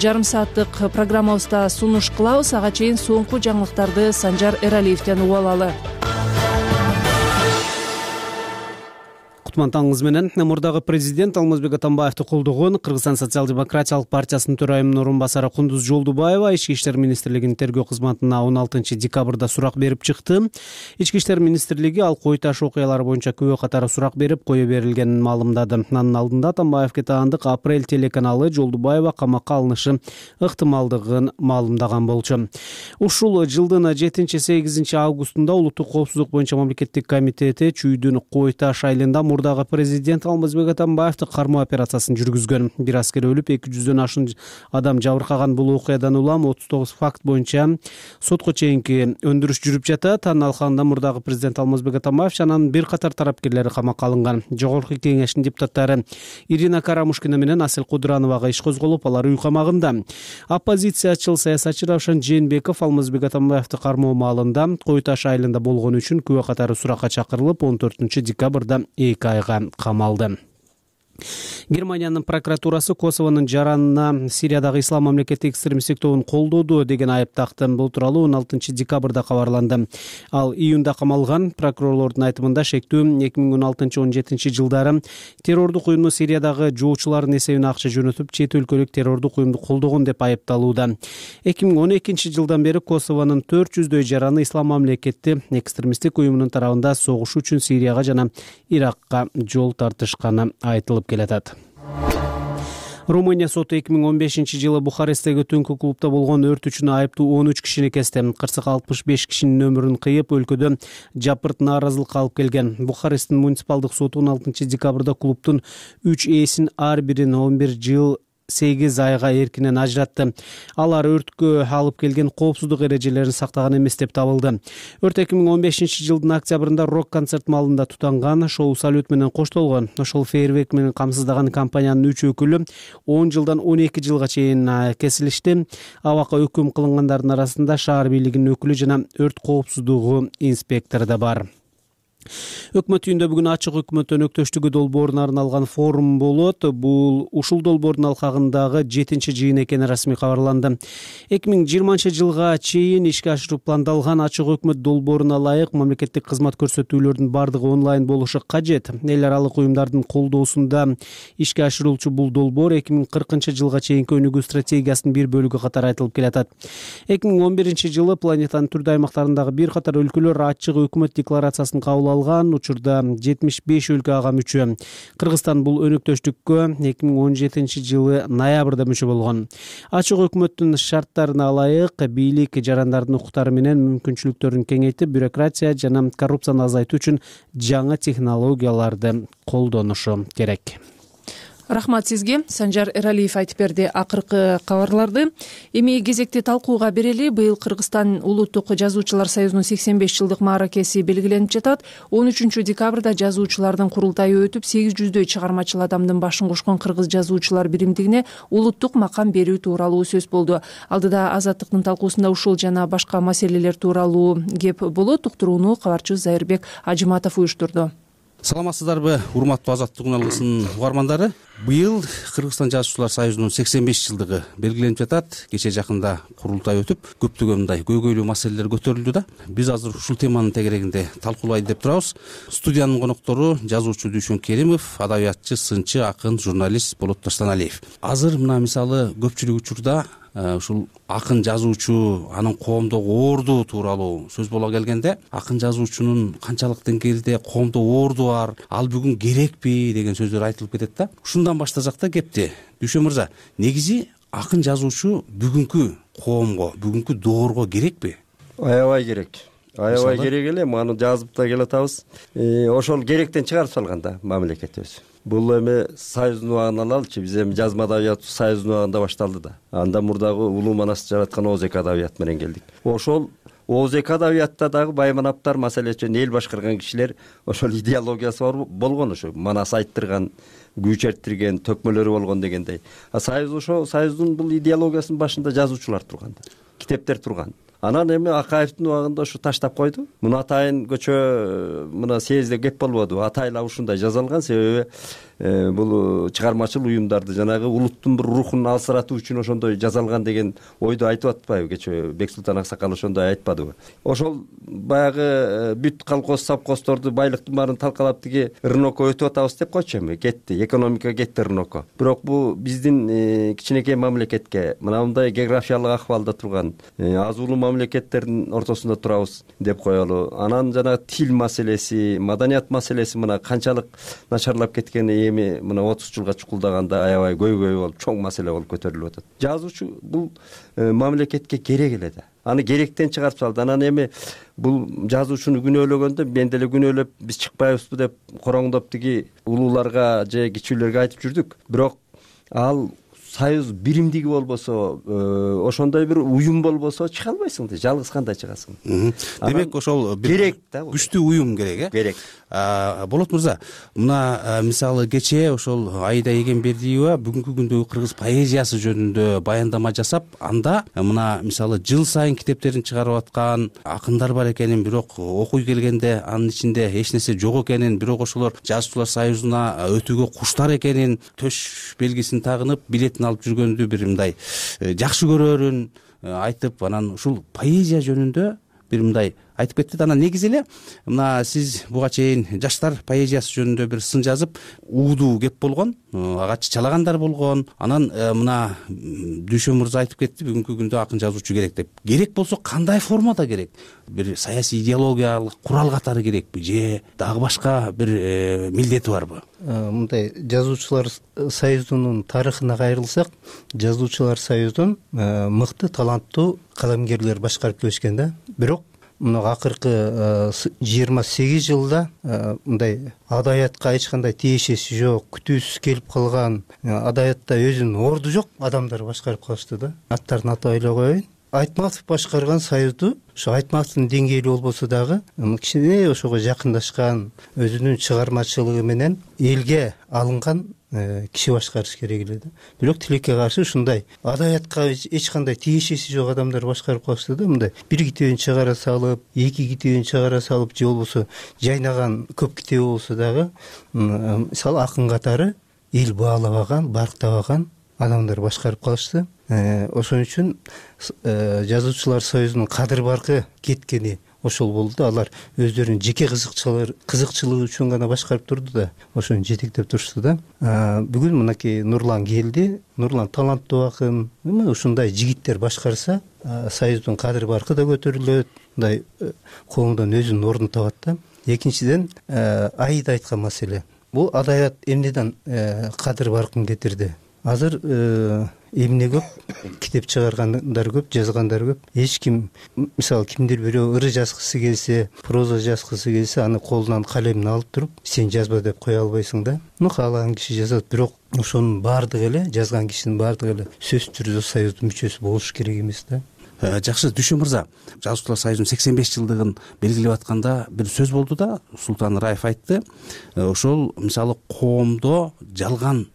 жарым сааттык программабызда сунуш кылабыз. Ага чейин соңку жаңылыктарды Санжар Эралиевден угуп алалы. Кутмантаңыз менен. Мурдагы президент Алмазбек Атамбаевди колдогон Кыргызстан социал-демократиялык партиясынын төрайымынын орун басары Кундуз Жолдубаева Ички иштер министрлигинин тергөө кызматына он алтынчы декабрда сурак берип чыкты. Ички иштер министрлиги ал кой таш окуялары боюнча күбө катары сурак берип, кое берилгенин маалымдады. Анын алдында Атамбаевге таандык Апрель телеканалы Жолдубаева камакка алынышы ыктымалдыгын маалымдаган болчу. Ушул жылдын жетинчи сегизинчи августунда Улуттук коопсуздук боюнча мамлекеттик комитети Чүйдүн Кой таш айылында мурдагы президент Алмазбек Атамбаевди кармоо операциясын жүргүзгөн. Бир аскер өлүп, эки жүздөн ашуун адам жабыркаган бул окуядан улам отуз тогуз факт боюнча сотко чейинки өндүрүш жүрүп жатат. Анын алкагында мурдагы президент Алмазбек Атамбаев жана анын бир катар тарапкерлери камакка алынган. Жогорку кеңештин депутаттары Ирина Карамушкина менен Асель Кудурановага иш козголуп, алар үй камагында. Оппозициячыл саясатчы Равшан Жээнбеков Алмазбек Атамбаевди кармоо маалында Кой таш айылында болгону үчүн күбө катары суракка чакырылып, он төртүнчү декабрда эки айга камалды. Германиянын прокуратурасы Косовонун жаранына Сириядагы ислам мамлекеттик экстремисттик тобун колдоду деген айып такты. Бул тууралуу он алтынчы декабрда кабарланды. Ал июнда камалган. Прокурорлордун айтымында шектүү эки миң он алтынчы он жетинчи жылдары террордук уюмду Сириядагы жоочулардын эсебине акча жөнөтүп, чет өлкөлүк террордук уюмду колдогон деп айыпталууда. эки миң он экинчи жылдан бери Косовонун төрт жүздөй жараны ислам мамлекетти экстремисттик уюмунун тарабында согуш үчүн Сирияга жана Иракка жол тартышканы айтылып келатат. Румыния соту эки миң он бешинчи жылы Бухаресттеги түнкү клубда болгон өрт үчүн айыптуу он үч кишини кести. Кырсык алтымыш беш кишинин өмүрүн кыйып, өлкөдө жапырт нааразылыкка алып келген. Бухаресттин муниципалдык соту он алтынчы декабрда клубдун үч ээсин ар бирин он бир жыл сегиз айга эркинен ажыратты. Алар өрткө алып келген коопсуздук эрежелерин сактаган эмес деп табылды. Өрт эки миң он бешинчи жылдын октябрында рок-концерт маалында тутанган, шоу салют менен коштолгон. Ошол фейерверк менен камсыздаган компаниянын үч өкүлү он жылдан он эки жылга чейин кесилишти. Абакка өкүм кылынгандардын арасында шаар бийлигинин өкүлү жана өрт коопсуздугу инспектору да бар. Өкмөт үйүндө бүгүн ачык өкмөт өнөктөштүгү долбооруна арналган форум болот. Бул ушул долбоордун алкагындагы жетинчи жыйын экени расмий кабарланды. эки миң жыйырманчы жылга чейин ишке ашыруу пландалган ачык өкмөт долбооруна ылайык мамлекеттик кызмат көрсөтүүлөрдүн бардыгы онлайн болушу кажет. Эл аралык уюмдардын колдоосунда ишке ашырылчу бул долбоор эки миң кыркынчы жылга чейинки өнүгүү стратегиясынын бир бөлүгү катары айтылып келатат. эки миң он биринчи жылы планетанын түрдүү аймактарындагы бир катар өлкөлөр ачык өкмөт декларациясын кабыл алган. Учурда жетимиш беш өлкө ага мүчө. Кыргызстан бул өнөктөштүккө эки миң он жетинчи жылы ноябрда мүчө болгон. Ачык өкмөттүн шарттарына ылайык бийлик жарандардын укуктары менен мүмкүнчүлүктөрүн кеңейтип, бюрократия жана коррупцияны азайтуу үчүн жаңы технологияларды колдонушу керек. Рахмат сизге. Санжар Эралиев айтып берди акыркы кабарларды. Эми кезекти талкууга берели. Быйыл Кыргызстан Улуттук жазуучулар союзунун сексен беш жылдык мааракеси белгиленип жатат. он үчүнчү декабрда жазуучулардын курултайы өтүп, сегиз жүздөй чыгармачыл адамдын башын кошкон Кыргыз жазуучулар биримдигине улуттук макам берүү тууралуу сөз болду. Алдыда Азаттыктын талкуусунда ушул жана башка маселелер тууралуу кеп болот. Уктурууну кабарчыбыз Зайырбек Ажыматов уюштурду. саламатсыздарбы, урматтуу Азаттык үн алгысынын угармандары? Быйыл Кыргызстан жазуучулар союзунун сексен беш жылдыгы белгиленип жатат. Кечээ жакында курултай өтүп, көптөгөн мындай көйгөйлүү маселелер көтөрүлдү да. Биз азыр ушул теманын тегерегинде талкуулайлы деп турабыз. Студиянын коноктору жазуучу Дүйшөн Керимов, адабиятчы, сынчы, акын, журналист Болот Таштаналиев. Азыр мына мисалы көпчүлүк учурда ушул акын жазуучу, анын коомдогу орду тууралуу сөз боло келгенде, акын жазуучунун канчалык деңгээлде коомдо орду бар, ал бүгүн керекпи деген сөздөр айтылып кетет да. Ушундан баштасак да кепти. Дүйшөн мырза, негизи акын жазуучу бүгүнкү коомго, бүгүнкү доорго керекпи? Аябай керек. Аябай керек эле, муну жазып да келатабыз. Ошол керектен чыгарып салган да мамлекетибиз. Бул эми союздун убагын алалычы, биз эми жазма адабият союздун убагында башталды да. Анда мурдагы улуу манасты жараткан Оозек адабият менен келдик. Ошол Оозек адабиятта дагы Байманаптар, маселе үчүн эл башкарган кишилер ошол идеологиясы бар болгон, ошо манас айттырган, күү чертирген, төкмөлөрү болгон дегендей. А союз ошо союздун бул идеологиясынын башында жазуучулар турган да. Китептер турган. Анан эми Акаевдин убагында ушу таштап койду. Муну атайын көчө мына съездде кеп болбоду. Атайла ушундай жазалган, себеби бул чыгармачыл уюмдарды жанагы улуттун бир рухун алсыратуу үчүн ошондой жазалган деген ойду айтып атпайбы? Кечээ Бексултан Аксакал ошондой айтпадыбы? Ошол баягы бүт колхоз совхоздорду байлыктын баарын талкалап тиги рынокко өтүп атабыз деп койчу эми. Кетти, экономика кетти рынокко. Бирок бул биздин кичинекей мамлекетке, мына мындай географиялык акыбалда турган аз улуу мамлекеттердин ортосунда турабыз деп коелу. Анан жана тил маселеси, маданият маселеси мына канчалык начарлап кеткени эми мына отуз жылга чукулдаганда аябай көйгөй болуп, чоң маселе болуп көтөрүлүп атат. Жазуучу бул мамлекетке керек эле да. Аны керектен чыгарып салды. Анан эми бул жазуучуну күнөөлөгөндө мен деле күнөөлөп биз чыкпайбызбы деп короңдоп тиги улууларга же кичүүлөргө айтып жүрдүк. Бирок ал союз биримдиги болбосо, ошондой бир уюм болбосо чыга албайсың да, жалгыз кандай чыгасың? Демек ошол керек да, күчтүү уюм керек, э? Керек. Болот мырза, мына мисалы кечээ ошол Аида Эгембердиева бүгүнкү күндөгү кыргыз поэзиясы жөнүндө баяндама жасап, анда мына мисалы жыл сайын китептерин чыгарып аткан акындар бар экенин, бирок окуй келгенде анын ичинде эч нерсе жок экенин, бирок ошолор жазуучулар союзуна өтүүгө куштар экенин, төш белгисин тагынып, билетин алып жүргөндү бир мындай жакшы көрөрүн айтып, анан ушул поэзия жөнүндө бир мындай айтып кетти. Анан негизи эле мына сиз буга чейин жаштар поэзиясы жөнүндө бир сын жазып, уудуу кеп болгон, ага чалагандар болгон. Анан мына Дүйшөн мырза айтып кетти, бүгүнкү күндө акын жазуучу керек деп. Керек болсо кандай формада керек? Бир саясий идеологиялык курал катары керекпи же дагы башка бир милдети барбы? Мындай жазуучулар союзунун тарыхына кайрылсак, жазуучулар союзун мыкты, таланттуу калемгерлер башкарып келишкен да. Бирок мына акыркы жыйырма сегиз жылда мындай адабиятка эч кандай тиешеси жок, күтүүсүз келип калган, адабиятта өзүнүн орду жок адамдар башкарып калышты да. Аттарын атап эле коеюн. Айтматов башкарган союзду ошо Айтматовдун деңгээли болбосо дагы кичине ошого жакындашкан, өзүнүн чыгармачылыгы менен элге алынган киши башкарыш керек эле да. Бирок тилекке каршы ушундай адабиятка эч кандай тиешеси жок адамдар башкарып калышты да. Мындай бир китебин чыгара салып, эки китебин чыгара салып же болбосо жайнаган көп китеби болсо дагы, мисалы акын катары эл баалабаган, барктабаган адамдар башкарып калышты. Ошон үчүн жазуучулар союзунун кадыр баркы кеткени ошол болду. Алар өздөрүнүн жеке кызыкчылыгы үчүн гана башкарып турду да, ошону жетектеп турушту да. Бүгүн мынакей Нурлан келди. Нурлан таланттуу акын. Ушундай жигиттер башкарса, союздун кадыр баркы да көтөрүлөт, мындай коомдон өзүнүн ордун табат да. Экинчиден, Аида айткан маселе. Бул адабият эмнеден кадыр баркын кетирди? Азыр эмне көп, китеп чыгаргандар көп, жазгандар көп. Эч ким, мисалы кимдир бирөө ыры жазгысы келсе, проза жазгысы келсе, аны колунан калемин алып туруп, сен жазба деп кое албайсың да. Ну каалаган киши жазат, бирок ошонун баардыгы эле, жазган кишинин баардыгы эле сөзсүз түрдө союздун мүчөсү болуш керек эмес да. Жакшы, Дүйшөн мырза, жазуучулар союзунун сексен беш жылдыгын белгилеп атканда бир сөз болду да, Султан Раев айтты. Ошол мисалы коомдо жалган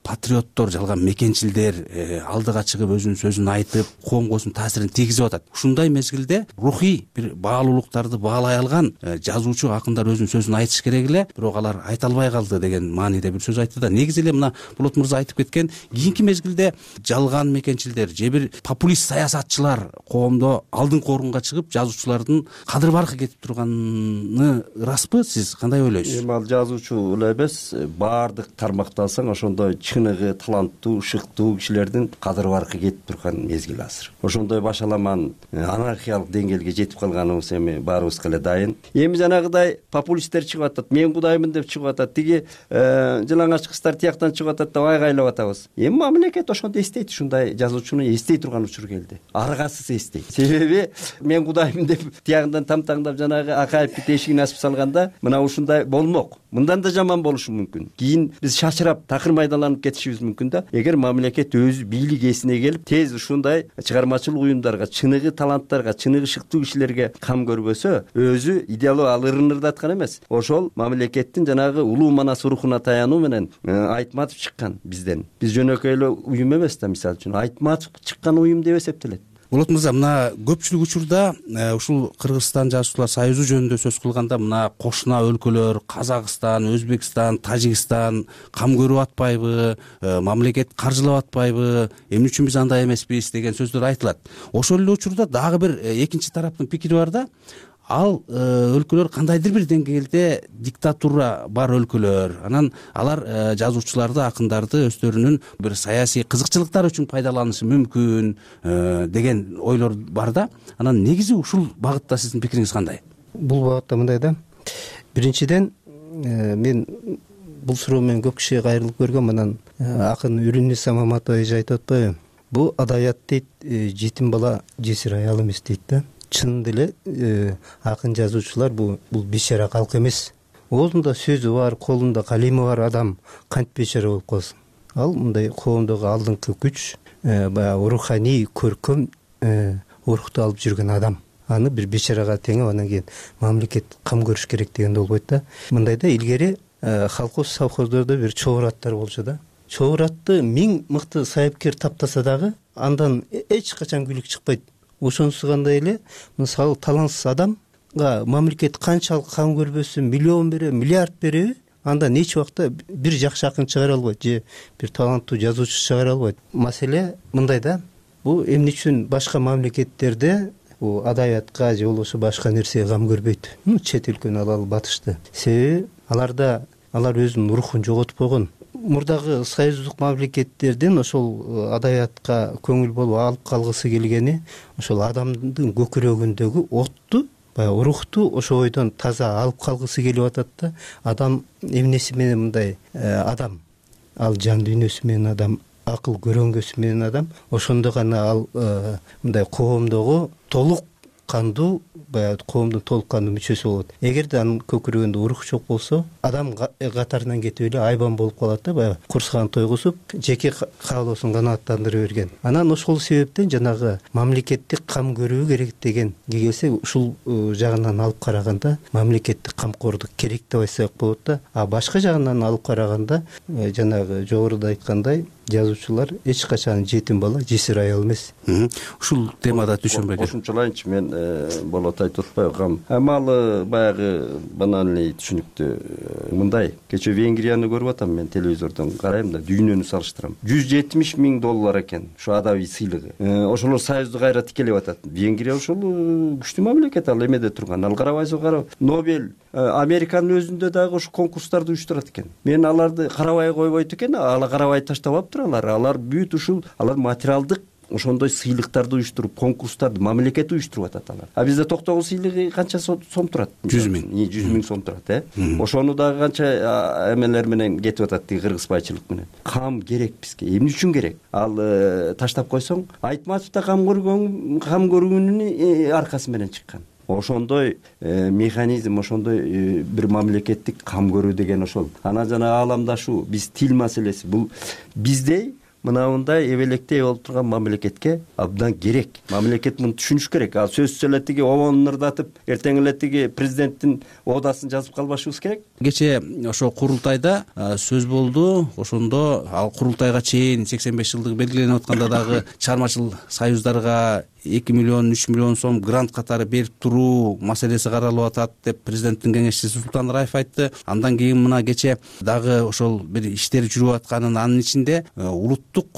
патриоттор, жалган мекенчилдер алдыга чыгып өзүнүн сөзүн айтып, коомго өзүнүн таасирин тийгизип атат. Ушундай мезгилде рухий бир баалуулуктарды баалай алган жазуучу, акындар өзүнүн сөзүн айтыш керек эле, бирок алар айта албай калды деген мааниде бир сөз айтты да. Негизи эле мына Болот мырза айтып кеткен, кийинки мезгилде жалган мекенчилдер же бир популист саясатчылар коомдо алдыңкы орунга чыгып, жазуучулардын кадыр баркы кетип турганы ырасбы? Сиз кандай ойлойсуз? Эми ал жазуучу эле эмес, баардык тармакты алсаң ошондой чыныгы, таланттуу, шыктуу кишилердин кадыр баркы кетип турган мезгил азыр. Ошондой башаламан анархиялык деңгээлге жетип калганыбыз эми баарыбызга эле дайын. Эми жанагыдай популисттер чыгып атат, мен кудаймын деп чыгып атат, тиги жылаңач кыздар тияктан чыгып атат деп айгайлап атабыз. Эми мамлекет ошондо эстейт, ушундай жазуучуну эстей турган учур келди. Аргасыз эстейт. Себеби мен кудаймын деп тиягынан тамтаңдап жанагы Акаевдин эшигин ачып салганда, мына ушундай болмок. Мындан да жаман болушу мүмкүн. Кийин биз шашырап, такыр майдаланып кетишибиз мүмкүн да. Эгер мамлекет өзү бийлик ээсине келип, тез ушундай чыгармачылык уюмдарга, чыныгы таланттарга, чыныгы шыктуу кишилерге кам көрбөсө, өзү идеалдуу ал ырынырдаткан эмес. Ошол мамлекеттин жанагы улуу манас рухуна таянуу менен Айтматов чыккан бизден. Биз жөнөкөй эле уюм эмес да, мисалы үчүн Айтматов чыккан уюм деп эсептелет. Болот мырза, мына көпчүлүк учурда ушул Кыргызстан жазуучулар союзу жөнүндө сөз кылганда мына кошуна өлкөлөр Казакстан, Өзбекстан, Тажикстан кам көрүп атпайбы, мамлекет каржылап атпайбы, эмне үчүн биз андай эмеспиз деген сөздөр айтылат. Ошол эле учурда дагы бир экинчи тараптын пикири бар да. Ал өлкөлөр кандайдыр бир деңгээлде диктатура бар өлкөлөр. Анан алар жазуучуларды, акындарды өздөрүнүн бир саясий кызыкчылыктары үчүн пайдаланышы мүмкүн деген ойлор бар да. Анан негизи ушул багытта сиздин пикириңиз кандай? Бул багытта мындай да. Биринчиден мен бул суроо менен көп кишиге кайрылып көргөм. Анан акын Үрүнниса Маматова эже айтып атпайбы? Бул адаят дейт, жетим бала жесир аял эмес дейт да. Чынында эле акын жазуучулар бул бул бейшара калк эмес. Оозунда сөзү бар, колунда калеми бар адам кантип бейшара болуп калсын? Ал мындай коомдогу алдыңкы күч, баягы руханий көркөм урукту алып жүргөн адам. Аны бир бейшарага теңеп, анан кийин мамлекет кам көрүш керек дегенде болбойт да. Мындайда илгери колхоз совхоздордо бир чогуу аттар болчу да. Чогуу атты миң мыкты сайыпкер таптаса дагы андан эч качан күлүк чыкпайт. Ошонусу кандай эле, мисалы талантсыз адамга мамлекет канчалык кам көрбөсүн, миллион береби, миллиард береби, андан эч убакта бир жакшы акын чыгара албайт же бир таланттуу жазуучу чыгара албайт. Маселе мындай да, бул эмне үчүн башка мамлекеттерде бул адаятка же болбосо башка нерсеге кам көрбөйт? Чет өлкөнү алалы, батышты. Себеби аларда алар өзүнүн рухун жоготуп койгон. Мурдагы союздук мамлекеттердин ошол адаятка көңүл болуп алып калгысы келгени ошол адамдын көкүрөгүндөгү отту, баягы рухту ошол бойдон таза алып калгысы келип атат да. Адам эмнеси менен мындай адам, ал жан дүйнөсү менен адам, акыл көрөңгөсү менен адам, ошондо гана ал мындай коомдогу толук кандуу, баягы коомдун толук кандуу мүчөсү болот. Эгерде анын көкүрөгүндө рух жок болсо, адам катарынан кетип эле айбан болуп калат да, баягы курсаган тойгузуп, жеке каалоосун канааттандыра берген. Анан ошол себептен жанагы мамлекеттик кам көрүү керек деген келсе, ушул жагынан алып караганда мамлекеттик камкордук керек деп айтсак болот да. А башка жагынан алып караганда жанагы жогоруда айткандай жазуучулар эч качан жетим бала, жесир аял эмес. Ушул темада түшүнбөйт. Кошумчалайынчы, мен болот айтып атпайбы? Амалы баягы банальный түшүнүктүү мындай. Кечээ Венгрияны көрүп атам, мен телевизордон карайм да, дүйнөнү салыштырам. жүз жетимиш миң доллар экен ушу адабий сыйлыгы. Ошолор союзду кайра тикелеп атат. Венгрия ошол күчтүү мамлекет, ал эмеде турган. Ал карабайсың, карап. Нобель Американын өзүндө дагы ушу конкурстарды уюштурат экен. Мен аларды карабай койбойт экен, алар карабай таштап алыптыр. Алар бүт ушул алар материалдык ошондой сыйлыктарды уюштуруп, конкурстарды мамлекет уюштуруп атат алар. А бизде токтогул сыйлыгы канча сом турат? жүз миң. жүз миң сом турат, э? Ошону дагы канча эмелер менен кетип атат, тиги кыргызбайчылык менен. Кам керек бизге. Эмне үчүн керек? Ал таштап койсоң, Айтматов да кам көргөн, кам көргөнүнүн аркасы менен чыккан. Ошондой механизм, ошондой бир мамлекеттик кам көрүү деген ошол. Анан жана ааламдашуу, биз тил маселеси, бул биздей мынандай эбелектей болуп турган мамлекетке абдан керек. Мамлекет муну түшүнүш керек. Ал сөзсүз эле тиги обону ырдатып, эртең эле тиги президенттин оодасын жазып калбашыбыз керек. Кечээ ошо курултайда сөз болду. Ошондо ал курултайга чейин сексен беш жылдыгы белгиленип атканда дагы чыгармачыл союздарга эки миллион үч миллион сом грант катары берип туруу маселеси каралып атат деп президенттин кеңешчиси Султан Раев айтты. Андан кийин мына кечээ дагы ошол бир иштер жүрүп атканын, анын ичинде улуттук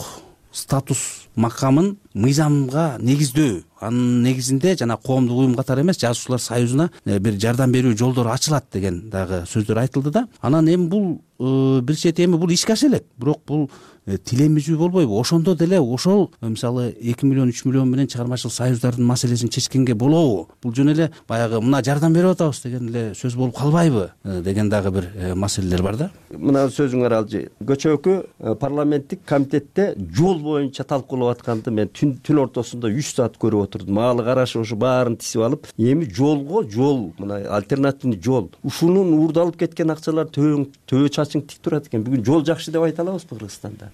статус макамын мыйзамга негиздөө, анын негизинде жана коомдук уюм катары эмес жазуучулар союзуна бир жардам берүү жолдору ачылат деген дагы сөздөр айтылды да. Анан эми бул бир чети эми бул ишке аша элек, бирок бул тилемизүү болбойбу? Ошондо деле ошол мисалы эки миллион үч миллион менен чыгармачыл союздардын маселесин чечкенге болобу? Бул жөн эле баягы мына жардам берип атабыз деген эле сөз болуп калбайбы деген дагы бир маселелер бар да. Мына сөзүңөр алжы. Көчөкү парламенттик комитетте жол боюнча талкуулап атканды мен түн түн ортосунда үч саат көрүп отурдум. Маалы карашы ушу баарын тисип алып, эми жолго жол, мына альтернативный жол. Ушунун уурдалып кеткен акчалар төбө чачың тик турат экен. Бүгүн жол жакшы деп айта алабызбы Кыргызстанда?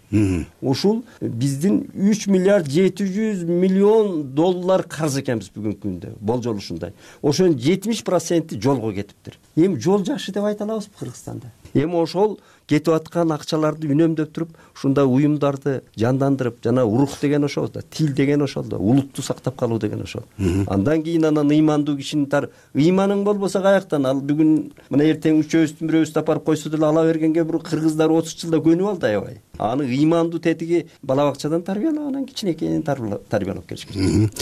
Ушул биздин үч миллиард жети жүз миллион доллар карыз экенбиз бүгүнкү күндө. Болжол ушундай. Ошонун жетимиш проценти жолго кетиптир. Эми жол жакшы деп айта алабызбы Кыргызстанда? Эми ошол кетип аткан акчаларды үнөмдөп туруп, ушундай уюмдарды жандандырып, жана урук деген ошол да, тил деген ошол да, улутту сактап калуу деген ошол. Андан кийин анан ыймандуу кишинин тар ыйманың болбосо каяктан ал бүгүн мына эртең үчөөбүздүн бирөөбүздү апарып койсо деле ала бергенге бир кыргыздар отуз жылда көнүп алды аябай. Аны ыймандуу тетиги бала бакчадан тарбиялап, анан кичинекейин тарбиялап келиш керек.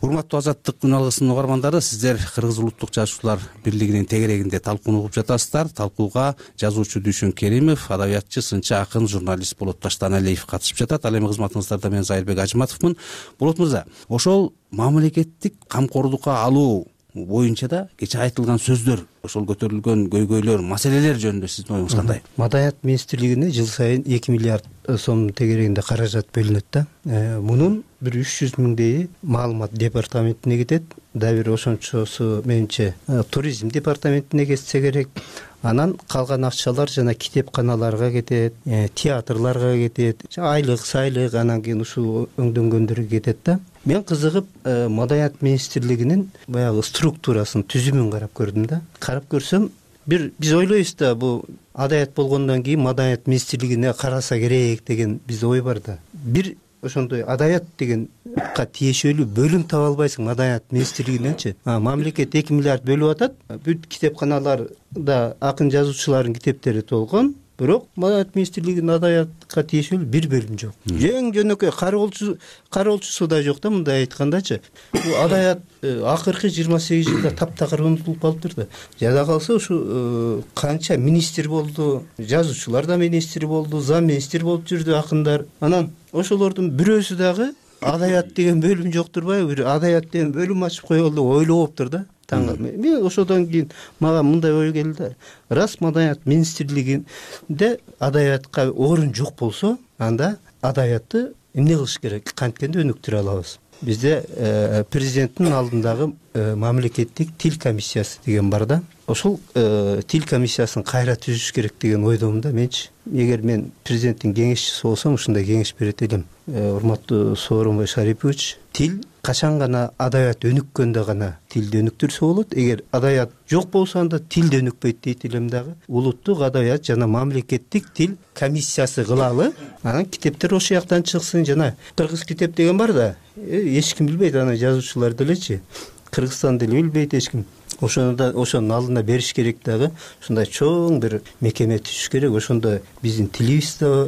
Урматтуу Азаттык күн алгысынын угармандары, сиздер Кыргыз улуттук жазуучулар бирлигинин тегерегинде талкууну угуп жатасыздар. Талкууга жазуучу Дүйшөн Керимов, адабиятчы, сынчы, акын, журналист Болот Таштаналиев катышып жатат. Ал эми кызматыңыздарда мен Зайырбек Ажыматовмун. Болот мырза, ошол мамлекеттик камкордукка алуу боюнча да кечээ айтылган сөздөр, ошол көтөрүлгөн көйгөйлөр, маселелер жөнүндө сиздин оюңуз кандай? Маданият министрлигине жыл сайын эки миллиард сом тегерегинде каражат бөлүнөт да. Мунун бир үч жүз миңдейи маалымат департаментине кетет. Дагы бир ошончосу менимче туризм департаментине кетсе керек. Анан калган акчалар жана китепканаларга кетет, театрларга кетет, айлык, сайлык, анан кийин ушул өңдөнгөндөргө кетет да. Мен кызыгып Маданият министрлигинин баягы структурасын, түзүмүн карап көрдүм да. Карап көрсөм, бир биз ойлойбуз да, бул адаят болгондон кийин Маданият министрлигине караса керек деген биз ой бар да. Бир ошондой адаят дегенга тиешелүү бөлүм таба албайсың Маданият министрлигиненчи. Мамлекет эки миллиард бөлүп атат. Бүт китепканаларда акын жазуучулардын китептери толгон, бирок Маданият министрлигинин адаятка тиешелүү бир бөлүм жок. Эң жөнөкөй кароолчу кароолчусу да жок да, мындай айткандачы. Бул адаят акыркы жыйырма сегиз жылда таптакыр унутулуп калыптыр да. Жада калса ушу канча министр болду, жазуучулар да министр болду, зам министр болуп жүрдү акындар. Анан ошолордун бирөөсү дагы адаят деген бөлүм жок турбайбы? Бир адаят деген бөлүм ачып коелу деп ойлоптур да. Мен ошодон кийин мага мындай ой келди. Рас Маданият министрлигинде адаятка орун жок болсо, анда адаятты эмне кылыш керек? Канткенде өнүктүрө алабыз. Бизде президенттин алдындагы мамлекеттик тил комиссиясы деген бар да. Ошол тил комиссиясын кайра түзүш керек деген ойдомун да менчи. Эгер мен президенттин кеңешчиси болсом, ушундай кеңеш берет элем. Урматтуу Сооронбай Шарипович, тил качан гана адаят өнүккөндө гана тилди өнүктүрсө болот. Эгер адаят жок болсо, анда тил да өнүкпөйт дейт элем дагы. Улуттук адаят жана мамлекеттик тил комиссиясы кылалы. Анан китептер ошол жактан чыксын. Жана кыргыз китеп деген бар да. Эч ким билбейт, аны жазуучулар делечи. Кыргызстан деле билбейт эч ким. Ошону да ошонун алдына бериш керек дагы. Ушундай чоң бир мекеме түзүш керек. Ошондо биздин тилибиз да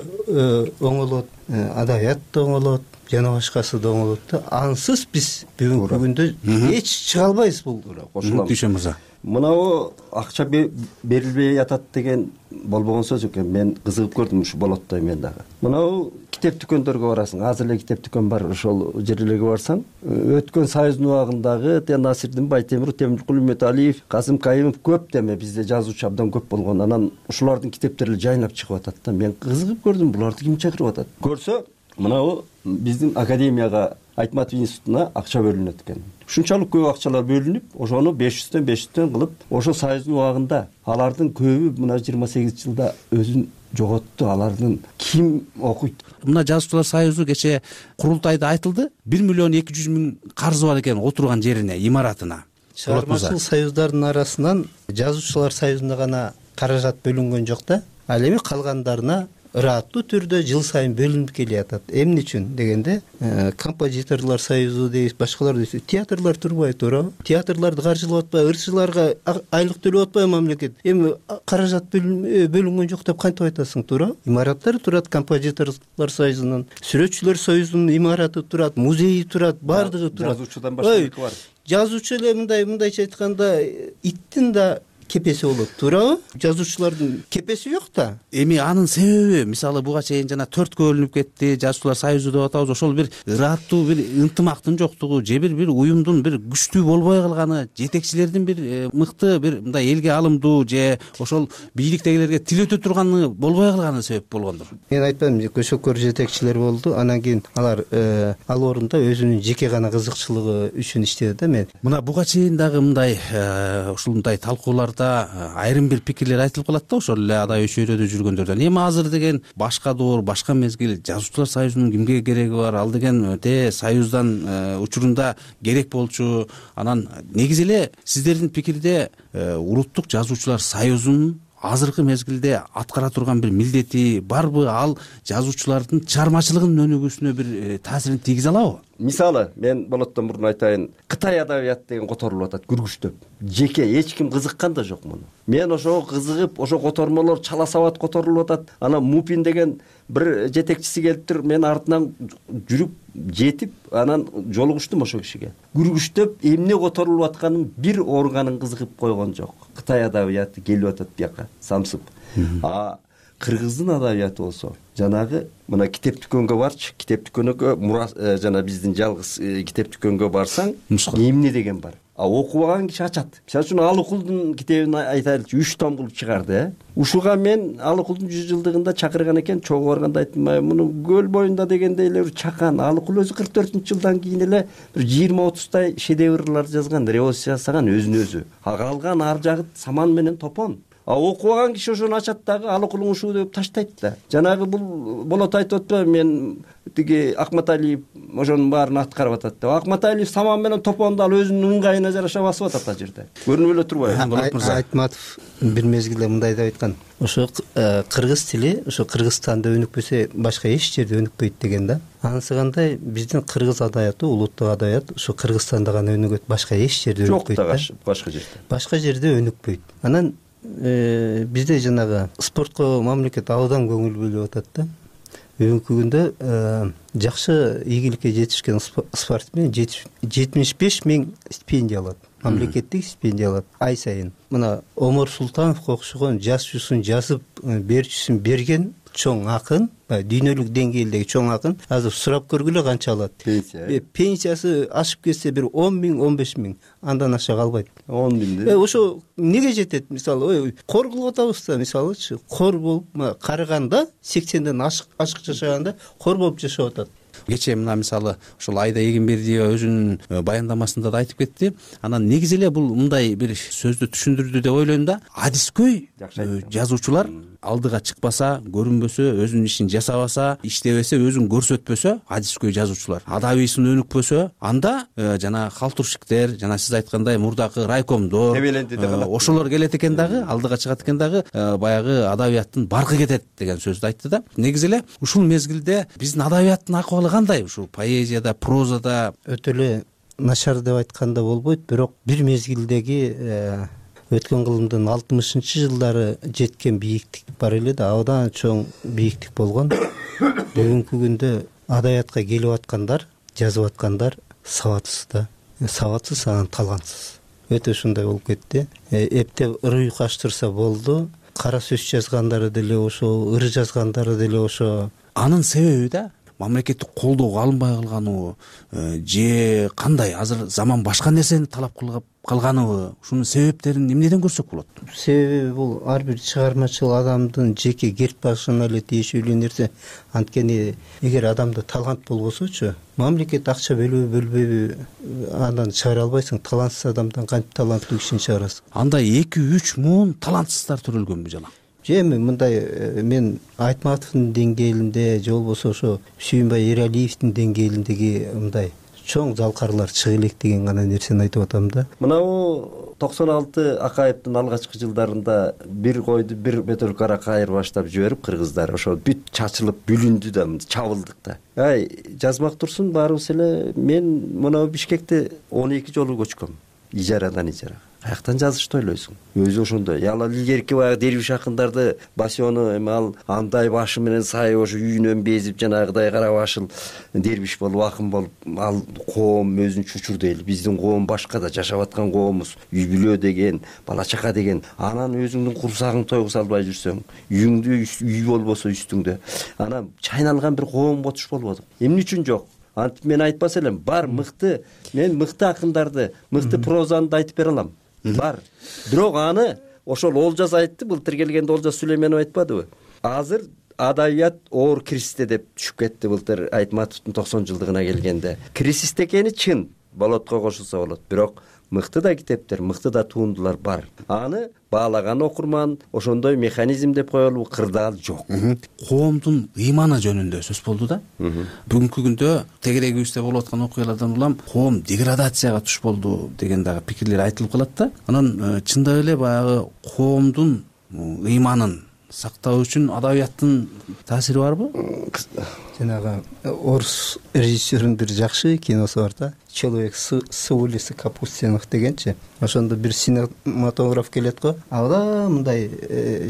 оңолот, адаят да оңолот, жана башкасы да оңолот да. Ансыз биз бүгүнкү күндө эч чыга албайбыз бул. Кошулам. Дүйшөн мырза. Мынау акча берилбей атат деген болбогон сөз экен. Мен кызыгып көрдүм ушу болоттой мен дагы. Мынау китеп дүкөндөргө барасың. Азыр эле китеп дүкөн бар, ошол жерлерге барсаң, өткөн союздун убагындагы Насирдин Байтемиров, Темиркул Үмөталиев, Касым Кайымов көп деме бизде жазуучу абдан көп болгон. Анан ушулардын китептери жайнап чыгып атат да. Мен кызыгып көрдүм, буларды ким чакырып атат? Көрсө, мынау биздин академияга, Айтматов институтуна акча бөлүнөт экен. Ушунчалык көп акчалар бөлүнүп, ошону беш жүздөн беш жүздөн кылып, ошо союздун убагында алардын көбү мына жыйырма сегиз жылда өзүн жоготту, алардын ким окуйт? Мына жазуучулар союзу кечээ курултайда айтылды, бир миллион эки жүз миң карзы бар экен отурган жерине, имаратына. Чыгармачыл союздардын арасынан жазуучулар союзуна гана каражат бөлүнгөн жок да, ал эми калгандарына ыраттуу түрдө жыл сайын бөлүнүп келатат. Эмне үчүн дегенде, композиторлор союзу дейбиз, башкалар дейбиз. Театрлар турбай туурабы? Театрларды каржылап атпайбы, ырчыларга айлык төлөп атпайбы мамлекет? Эми каражат бөлүнгөн жок деп кантип айтасың, туурабы? Имараттар турат композиторлор союзунун, сүрөтчүлөр союзунун имараты турат, музейи турат, баардыгы турат. Жазуучудан башка бар. Жазуучу эле мындай мындайча айтканда иттин да кепеси болот, туурабы? Жазуучулардын кепеси жок да. Эми анын себеби, мисалы буга чейин жана төрткө бөлүнүп кетти, жазуучулар союзу деп атабыз, ошол бир ыраттуу бир ынтымактын жоктугу, же бир бир уюмдун бир күчтүү болбой калганы, жетекчилердин бир мыкты бир мындай элге алымдуу же ошол бийликтегилерге тил өтө турганы болбой калганы себеп болгондур. Мен айтпайм, көшөкөр жетекчилер болду, анан кийин алар ал орунда өзүнүн жеке гана кызыкчылыгы үчүн иштеди да. Мен мына буга чейин дагы мындай ушундай талкуулар айрым бир пикирлер айтылып калат да, ошол эле адай чөйрөдө жүргөндөрдөн. Эми азыр деген башка доор, башка мезгил, жазуучулар союзунун кимге кереги бар? Ал деген те союздан учурунда керек болчу. Анан негизи эле сиздердин пикирде улуттук жазуучулар союзунун азыркы мезгилде аткара турган бир милдети барбы? Ал жазуучулардын чыгармачылыгынын өнүгүүсүнө бир таасирин тийгизе алабы? Мисалы, мен болоттон мурун айтайын, Кытай адабияты деген которулуп атат, күргүчтөп. Жеке эч ким кызыккан да жок муну. Мен ошого кызыгып, ошо котормолор чала сабат которулуп атат. Анан Мупин деген бир жетекчиси келиптир, мен артынан жүрүп жетип, анан жолугуштум ошо кишиге. Күргүчтөп эмне которулуп атканын бир органын кызыгып койгон жок. Кытай адабияты келип атат бияка, самсып. А кыргыздын адабияты болсо, жанагы мына китеп дүкөнгө барчы, китеп дүкөнгө жана биздин жалгыз китеп дүкөнгө барсаң, эмне деген бар. А окубаган киши ачат. Мисалы үчүн Алыкулдун китебин айтайлычы, үч том кылып чыгарды, э. Ушуга мен Алыкулдун жүз жылдыгында чакырган экен, чогуу барганда айттым, муну көл боюнда дегенде эле чакан. Алыкул өзү кырк төртүнчү жылдан кийин эле бир жыйырма отуздай шедеврлар жазган, революция жасаган өзүн өзү. А калган ар жагы саман менен топон. А окубаган киши ошону ачат дагы Алыкулуң ушуу деп таштайт да. Жанагы бул болот айтып атпайбы, мен тиги Акматалиев ошонун баарын аткарып атат деп. Акматалиев саман менен топонду ал өзүнүн ыңгайына жараша басып атат ал жерде. Көрүнүп эле турбайбы? Болот мырза. Айтматов бир мезгилде мындай деп айткан. Ошо кыргыз тили ошо Кыргызстанда өнүкпөсө башка эч жерде өнүкпөйт деген да. Анысы кандай, биздин кыргыз адабияты, улуттук адабият ошо Кыргызстанда гана өнүгөт, башка эч жерде өнүкпөйт да. Жок, башка жерде. Башка жерде өнүкпөйт. Анан бизде жанагы спортко мамлекет абдан көңүл бөлүп атат да. Бүгүнкү күндө жакшы ийгиликке жетишкен спортсмен жетимиш беш миң стипендия алат. Мамлекеттик стипендия алат ай сайын. Мына Омар Султановго окшогон жаш жуусун жазып, берчүсүн берген чоң акын, дүйнөлүк деңгээлдеги чоң акын азыр сурап көргүлө канча алат. Пенсия. Пенсиясы ашып кетсе бир он миң, он беш миң, андан аша калбайт. он миңде. Ошо неге жетет? Мисалы, ой, кор кылып атабыз да, мисалычы, кор болуп, карыганда сексенден ашык ашык жашаганда кор болуп жашап атат. Кечээ мына мисалы ошол Айда Эгембердиева өзүнүн баяндамасында да айтып кетти. Анан негизи эле бул мындай бир сөздү түшүндүрдү деп ойлойм да. Адискөй жазуучулар алдыга чыкпаса, көрүнбөсө, өзүнүн ишин жасабаса, иштебесе, өзүн көрсөтпөсө, адискөй жазуучулар адабийсын өнүкпөсө, анда жана халтуршиктер, жана сиз айткандай мурдакы райкомдор, ошолор келет экен дагы, алдыга чыгат экен дагы, баягы адабияттын баркы кетет деген сөздү айтты да. Негизи эле ушул мезгилде биздин адабияттын акыбалы кандай? Ушул поэзияда, прозада өтө эле начар деп айтканда болбойт, бирок бир мезгилдеги өткөн кылымдын алтымышынчы жылдары жеткен бийиктик бар эле да, абдан чоң бийиктик болгон. Бүгүнкү күндө адабиятка келип аткандар, жазып аткандар сабатсыз да. Сабатсыз, анан талантсыз. Өтө ушундай болуп кетти. Эптеп ыр уйкаштырса болду. Кара сөз жазгандары деле ошо, ыр жазгандары деле ошо. Анын себеби да мамлекеттик колдоого алынбай калганыбы же кандай? Азыр заман башка нерсени талап кылып калганыбы? Ушунун себептерин эмнеден көрсөк болот? Себеби бул ар бир чыгармачыл адамдын жеке керт башына эле тиешелүү нерсе. Анткени эгер адамда талант болбосочу, мамлекет акча бөлөбү бөлбөйбү, андан чыгара албайсың. Талантсыз адамдан кантип таланттуу кишини чыгарасың? Анда эки үч муун талантсыздар төрөлгөнбү жана? же эми мындай мен Айтматовдун деңгээлинде же болбосо ошо Сүйүнбай Эралиевдин деңгээлиндеги мындай чоң залкарлар чыга элек деген гана нерсени айтып атам да. Мынабу токсон алты Акаевдин алгачкы жылдарында бир койду бир бөтөлкө кайыр баштап жиберип кыргыздар ошо бүт чачылып бүлүндү да чабылдык да. Ай жазмак турсун баарыбыз эле мен мына Бишкекте он эки жолу көчкөм ижарадан ижарага. Каяктан жазышты ойлойсуң? Өзү ошондой. Ал илгерки баягы Дербиш акындарды басиону эми ал андай башы менен сай ошо үйүнөн безип жанагыдай кара башыл дербиш болуп акын болуп ал коом өзүн чучурду эл. Биздин коом башка да жашап аткан коомубуз. Үй бүлө деген, бала чака деген. Анан өзүңдүн курсагың тойго салбай жүрсөң, үйүңдү үй болбосо үстүңдө, анан чайналган бир коомго туш болбодук. Эмне үчүн жок? Антип мен айтпас элем. Бар мыкты, мен мыкты акындарды, мыкты прозаны да айтып бере алам. Бар. Бирок аны ошол Олжас айтты, былтыр келгенде Олжас Сүлейменов айтпадыбы? Азыр адабият оор кризисте деп түшүп кетти былтыр Айтматовдун токсон жылдыгына келгенде. Кризисте экени чын, болотко кошулса болот. Бирок мыкты да китептер, мыкты да туындулар бар. Аны баалаган окурман ошондой механизм деп коелу кырдаал жок. Коомдун ыйманы жөнүндө сөз болду да. Бүгүнкү күндө тегерегибизде болуп аткан окуялардан улам коом деградацияга туш болду деген дагы пикирлер айтылып калат да. Анан чындап эле баягы коомдун ыйманын сактоо үчүн адабияттын таасири барбы? Жанагы орус режиссердин бир жакшы киносу бар да. Человек с улицы Капустиных дегенчи. Ошондо бир синематограф келет го. Ага мындай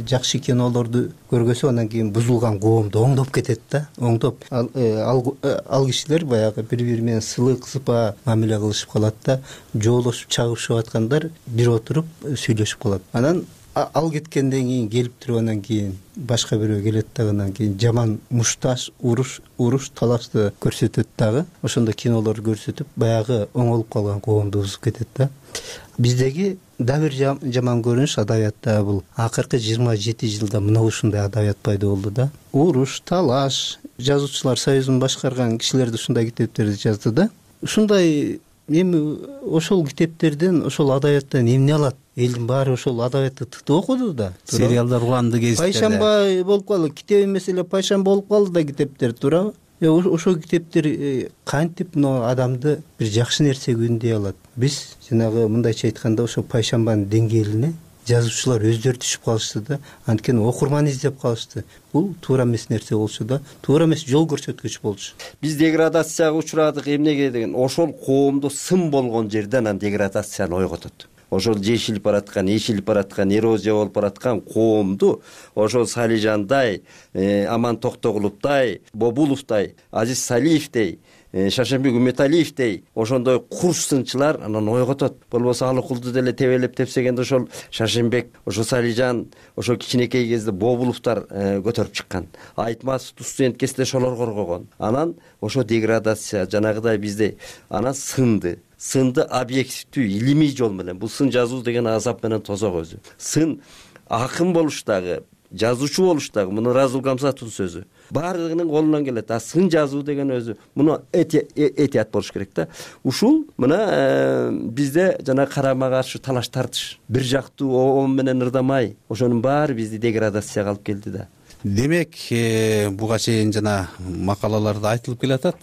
жакшы кинолорду көргөсө анан кийин бузулган коомду оңдоп кетет да. Оңдоп ал кишилер баягы бири-бири менен сылык сыпа мамиле кылышып калат да. Жоолошуп чагышып аткандар бир отуруп сүйлөшүп калат. Анан ал кеткенден кийин келип туруп анан кийин башка бирөө келет дагы анан кийин жаман мушташ уруш уруш талашты көрсөтөт дагы. Ошондо кинолор көрсөтүп баягы оңолуп калган коомду бузуп кетет да. Биздеги да бир жаман көрүнүш адабиятта бул акыркы жыйырма жети жылда мына ушундай адабият пайда болду да. Уруш, талаш, жазуучулар союзун башкарган кишилерди ушундай китептерди жазды да. Ушундай эми ошол китептерден, ошол адабияттан эмне алат? Элдин баары ошол адабиятты тытып окуду да. Сериалдар уланды кезинде. Пайшамба болуп калды. Китеп эмес эле пайшамба болуп калды да китептер, туурабы? Ошол китептер кантип мына адамды бир жакшы нерсеге үндөй алат? Биз жанагы мындайча айтканда ошо пайшамбанын деңгээлине жазуучулар өздөрү түшүп калышты да. Анткени окурман издеп калышты. Бул туура эмес нерсе болчу да. Туура эмес жол көрсөткүч болчу. Биз деградацияга учурадык эмнеге деген ошол коомдо сын болгон жерден анан деградацияны ойготот. Ошол жешилип бараткан, эшилип бараткан, эрозия болуп бараткан коомду ошол Салижандай, Аман Токтогуловдой, Бобуловдой, Азиз Салиевдей, Шашенбек Үмөталиевдей ошондой курс сынчылар анан ойготот. Болбосо Алыкулду деле тебелеп тепсегенде ошол Шашенбек, ошо Салижан, ошо кичинекей кезде Бобуловдор көтөрүп чыккан. Айтматов студент кезде ошолор коргогон. Анан ошо деградация жанагыдай бизде анан сынды. Сынды объективдүү илимий жол менен. Бул сын жазуу деген азап менен тозок өзү. Сын акын болуштагы, жазуучу болуштагы муну Разул Гамсатовдун сөзү. Баардыгынын колунан келет. А сын жазуу деген өзү муну этият болуш керек да. Ушул мына бизде жана карама каршы талаш тартыш, бир жактуу оом менен ырдамай, ошонун баары бизди деградацияга алып келди да. Демек, буга чейин жана макалаларда айтылып келатат,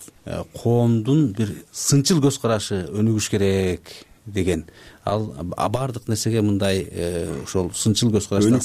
коомдун бир сынчыл көз карашы өнүгүш керек деген. Ал баардык нерсеге мындай ошол сынчыл көз караштан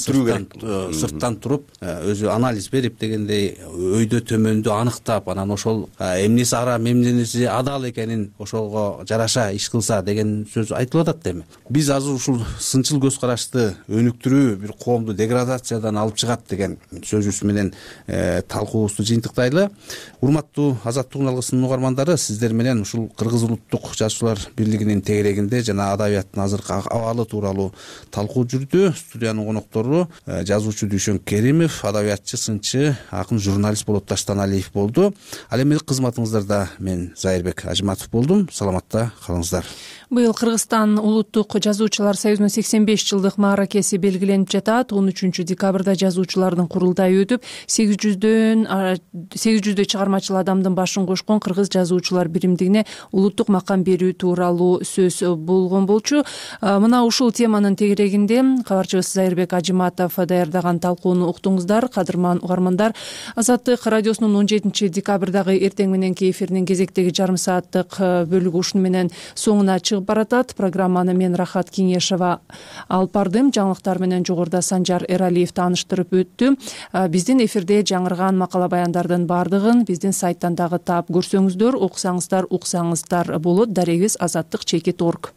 сырттан туруп өзү анализ берип дегендей өйдө төмөндү аныктап, анан ошол эмнеси арам, эмнеси адал экенин ошолго жараша иш кылса деген сөз айтылып атат эми. Биз азыр ушул сынчыл көз карашты өнүктүрүү бир коомду деградациядан алып чыгат деген сөзүбүз менен талкуубузду жыйынтыктайлы. Урматтуу Азаттыктын алгысынын угармандары, сиздер менен ушул Кыргыз улуттук жазуучулар бирлигинин тегерегинде жана адабият азыркы абалы тууралуу талкуу жүрдү. Студиянын коноктору жазуучу Дүйшөн Керимов, адабиятчы, сынчы, акын, журналист болот Таштан Алиев болду. Ал эми кызматыңыздарда мен Зайырбек Ажматов болдум. Саламатта калыңыздар. Быйыл Кыргызстан улуттук жазуучулар союзунун сексен беш жылдык мааракеси белгиленип жатат. он үчүнчү декабрда жазуучулардын курултайы өтүп, сегиз жүздөн сегиз жүздөй чыгармачыл адамдын башын кошкон Кыргыз жазуучулар биримдигине улуттук макам берүү тууралуу сөз болгон болчу. уктуруучу. Мына ушул теманын тегерегинде кабарчыбыз Зайырбек Ажыматов даярдаган талкууну уктуңуздар. Кадырман угармандар, Азаттык радиосунун он жетинчи декабрдагы эртең мененки эфиринин кезектеги жарым сааттык бөлүгү ушуну менен соңуна чыгып баратат. Программаны мен Рахат Кеңешова алып бардым. Жаңылыктар менен жогоруда Санжар Эралиев тааныштырып өттү. Биздин эфирде жаңырган макала баяндардын баардыгын биздин сайттан дагы таап көрсөңүздөр, окусаңыздар, уксаңыздар болот. Дарегибиз азаттык чекит орг.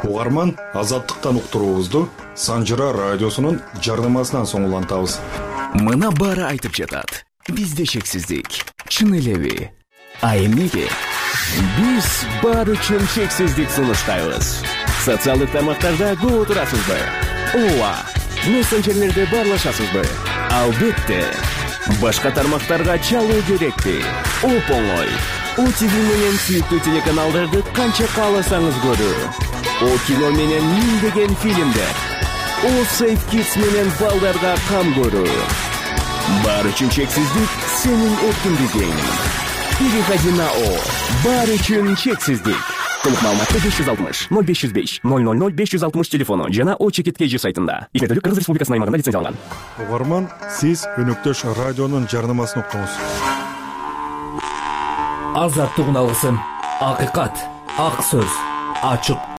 Угарман, Азаттыктан уктуруубузду Санжара радиосунун жарнамасынан соң улантабыз. Мына баары айтып жатат. Бизде чексиздик. Чын элеби? А эмнеге? Биз баары үчүн чексиздик сунуштайбыз. Социалдык тармактарда көп отурасызбы? Ооба. Мессенджерлерде баарлашасызбы? Албетте. Башка тармактарга чалуу керекпи? Оп-оңой. О ти ви менен сүйүктүү телеканалдарды канча кааласаңыз көрүү. О кино менен миңдеген фильмдер. О Safe Kids менен балдарга кам көрүү. Баары үчүн чексиздик сенин эркиндигиң. Переходи на О. Баары үчүн чексиздик. Толук маалыматты беш жүз алтымыш ноль беш жүз беш ноль ноль ноль беш жүз алтымыш телефону жана О чекит кей жи сайтында. Иштетүүлүк Кыргыз Республикасынын аймагында лицензияланган. Угарман, сиз өнөктөш радионун жарнамасын уктуңуз. Азаттык үн алгысын. Акыйкат, ак сөз, ачык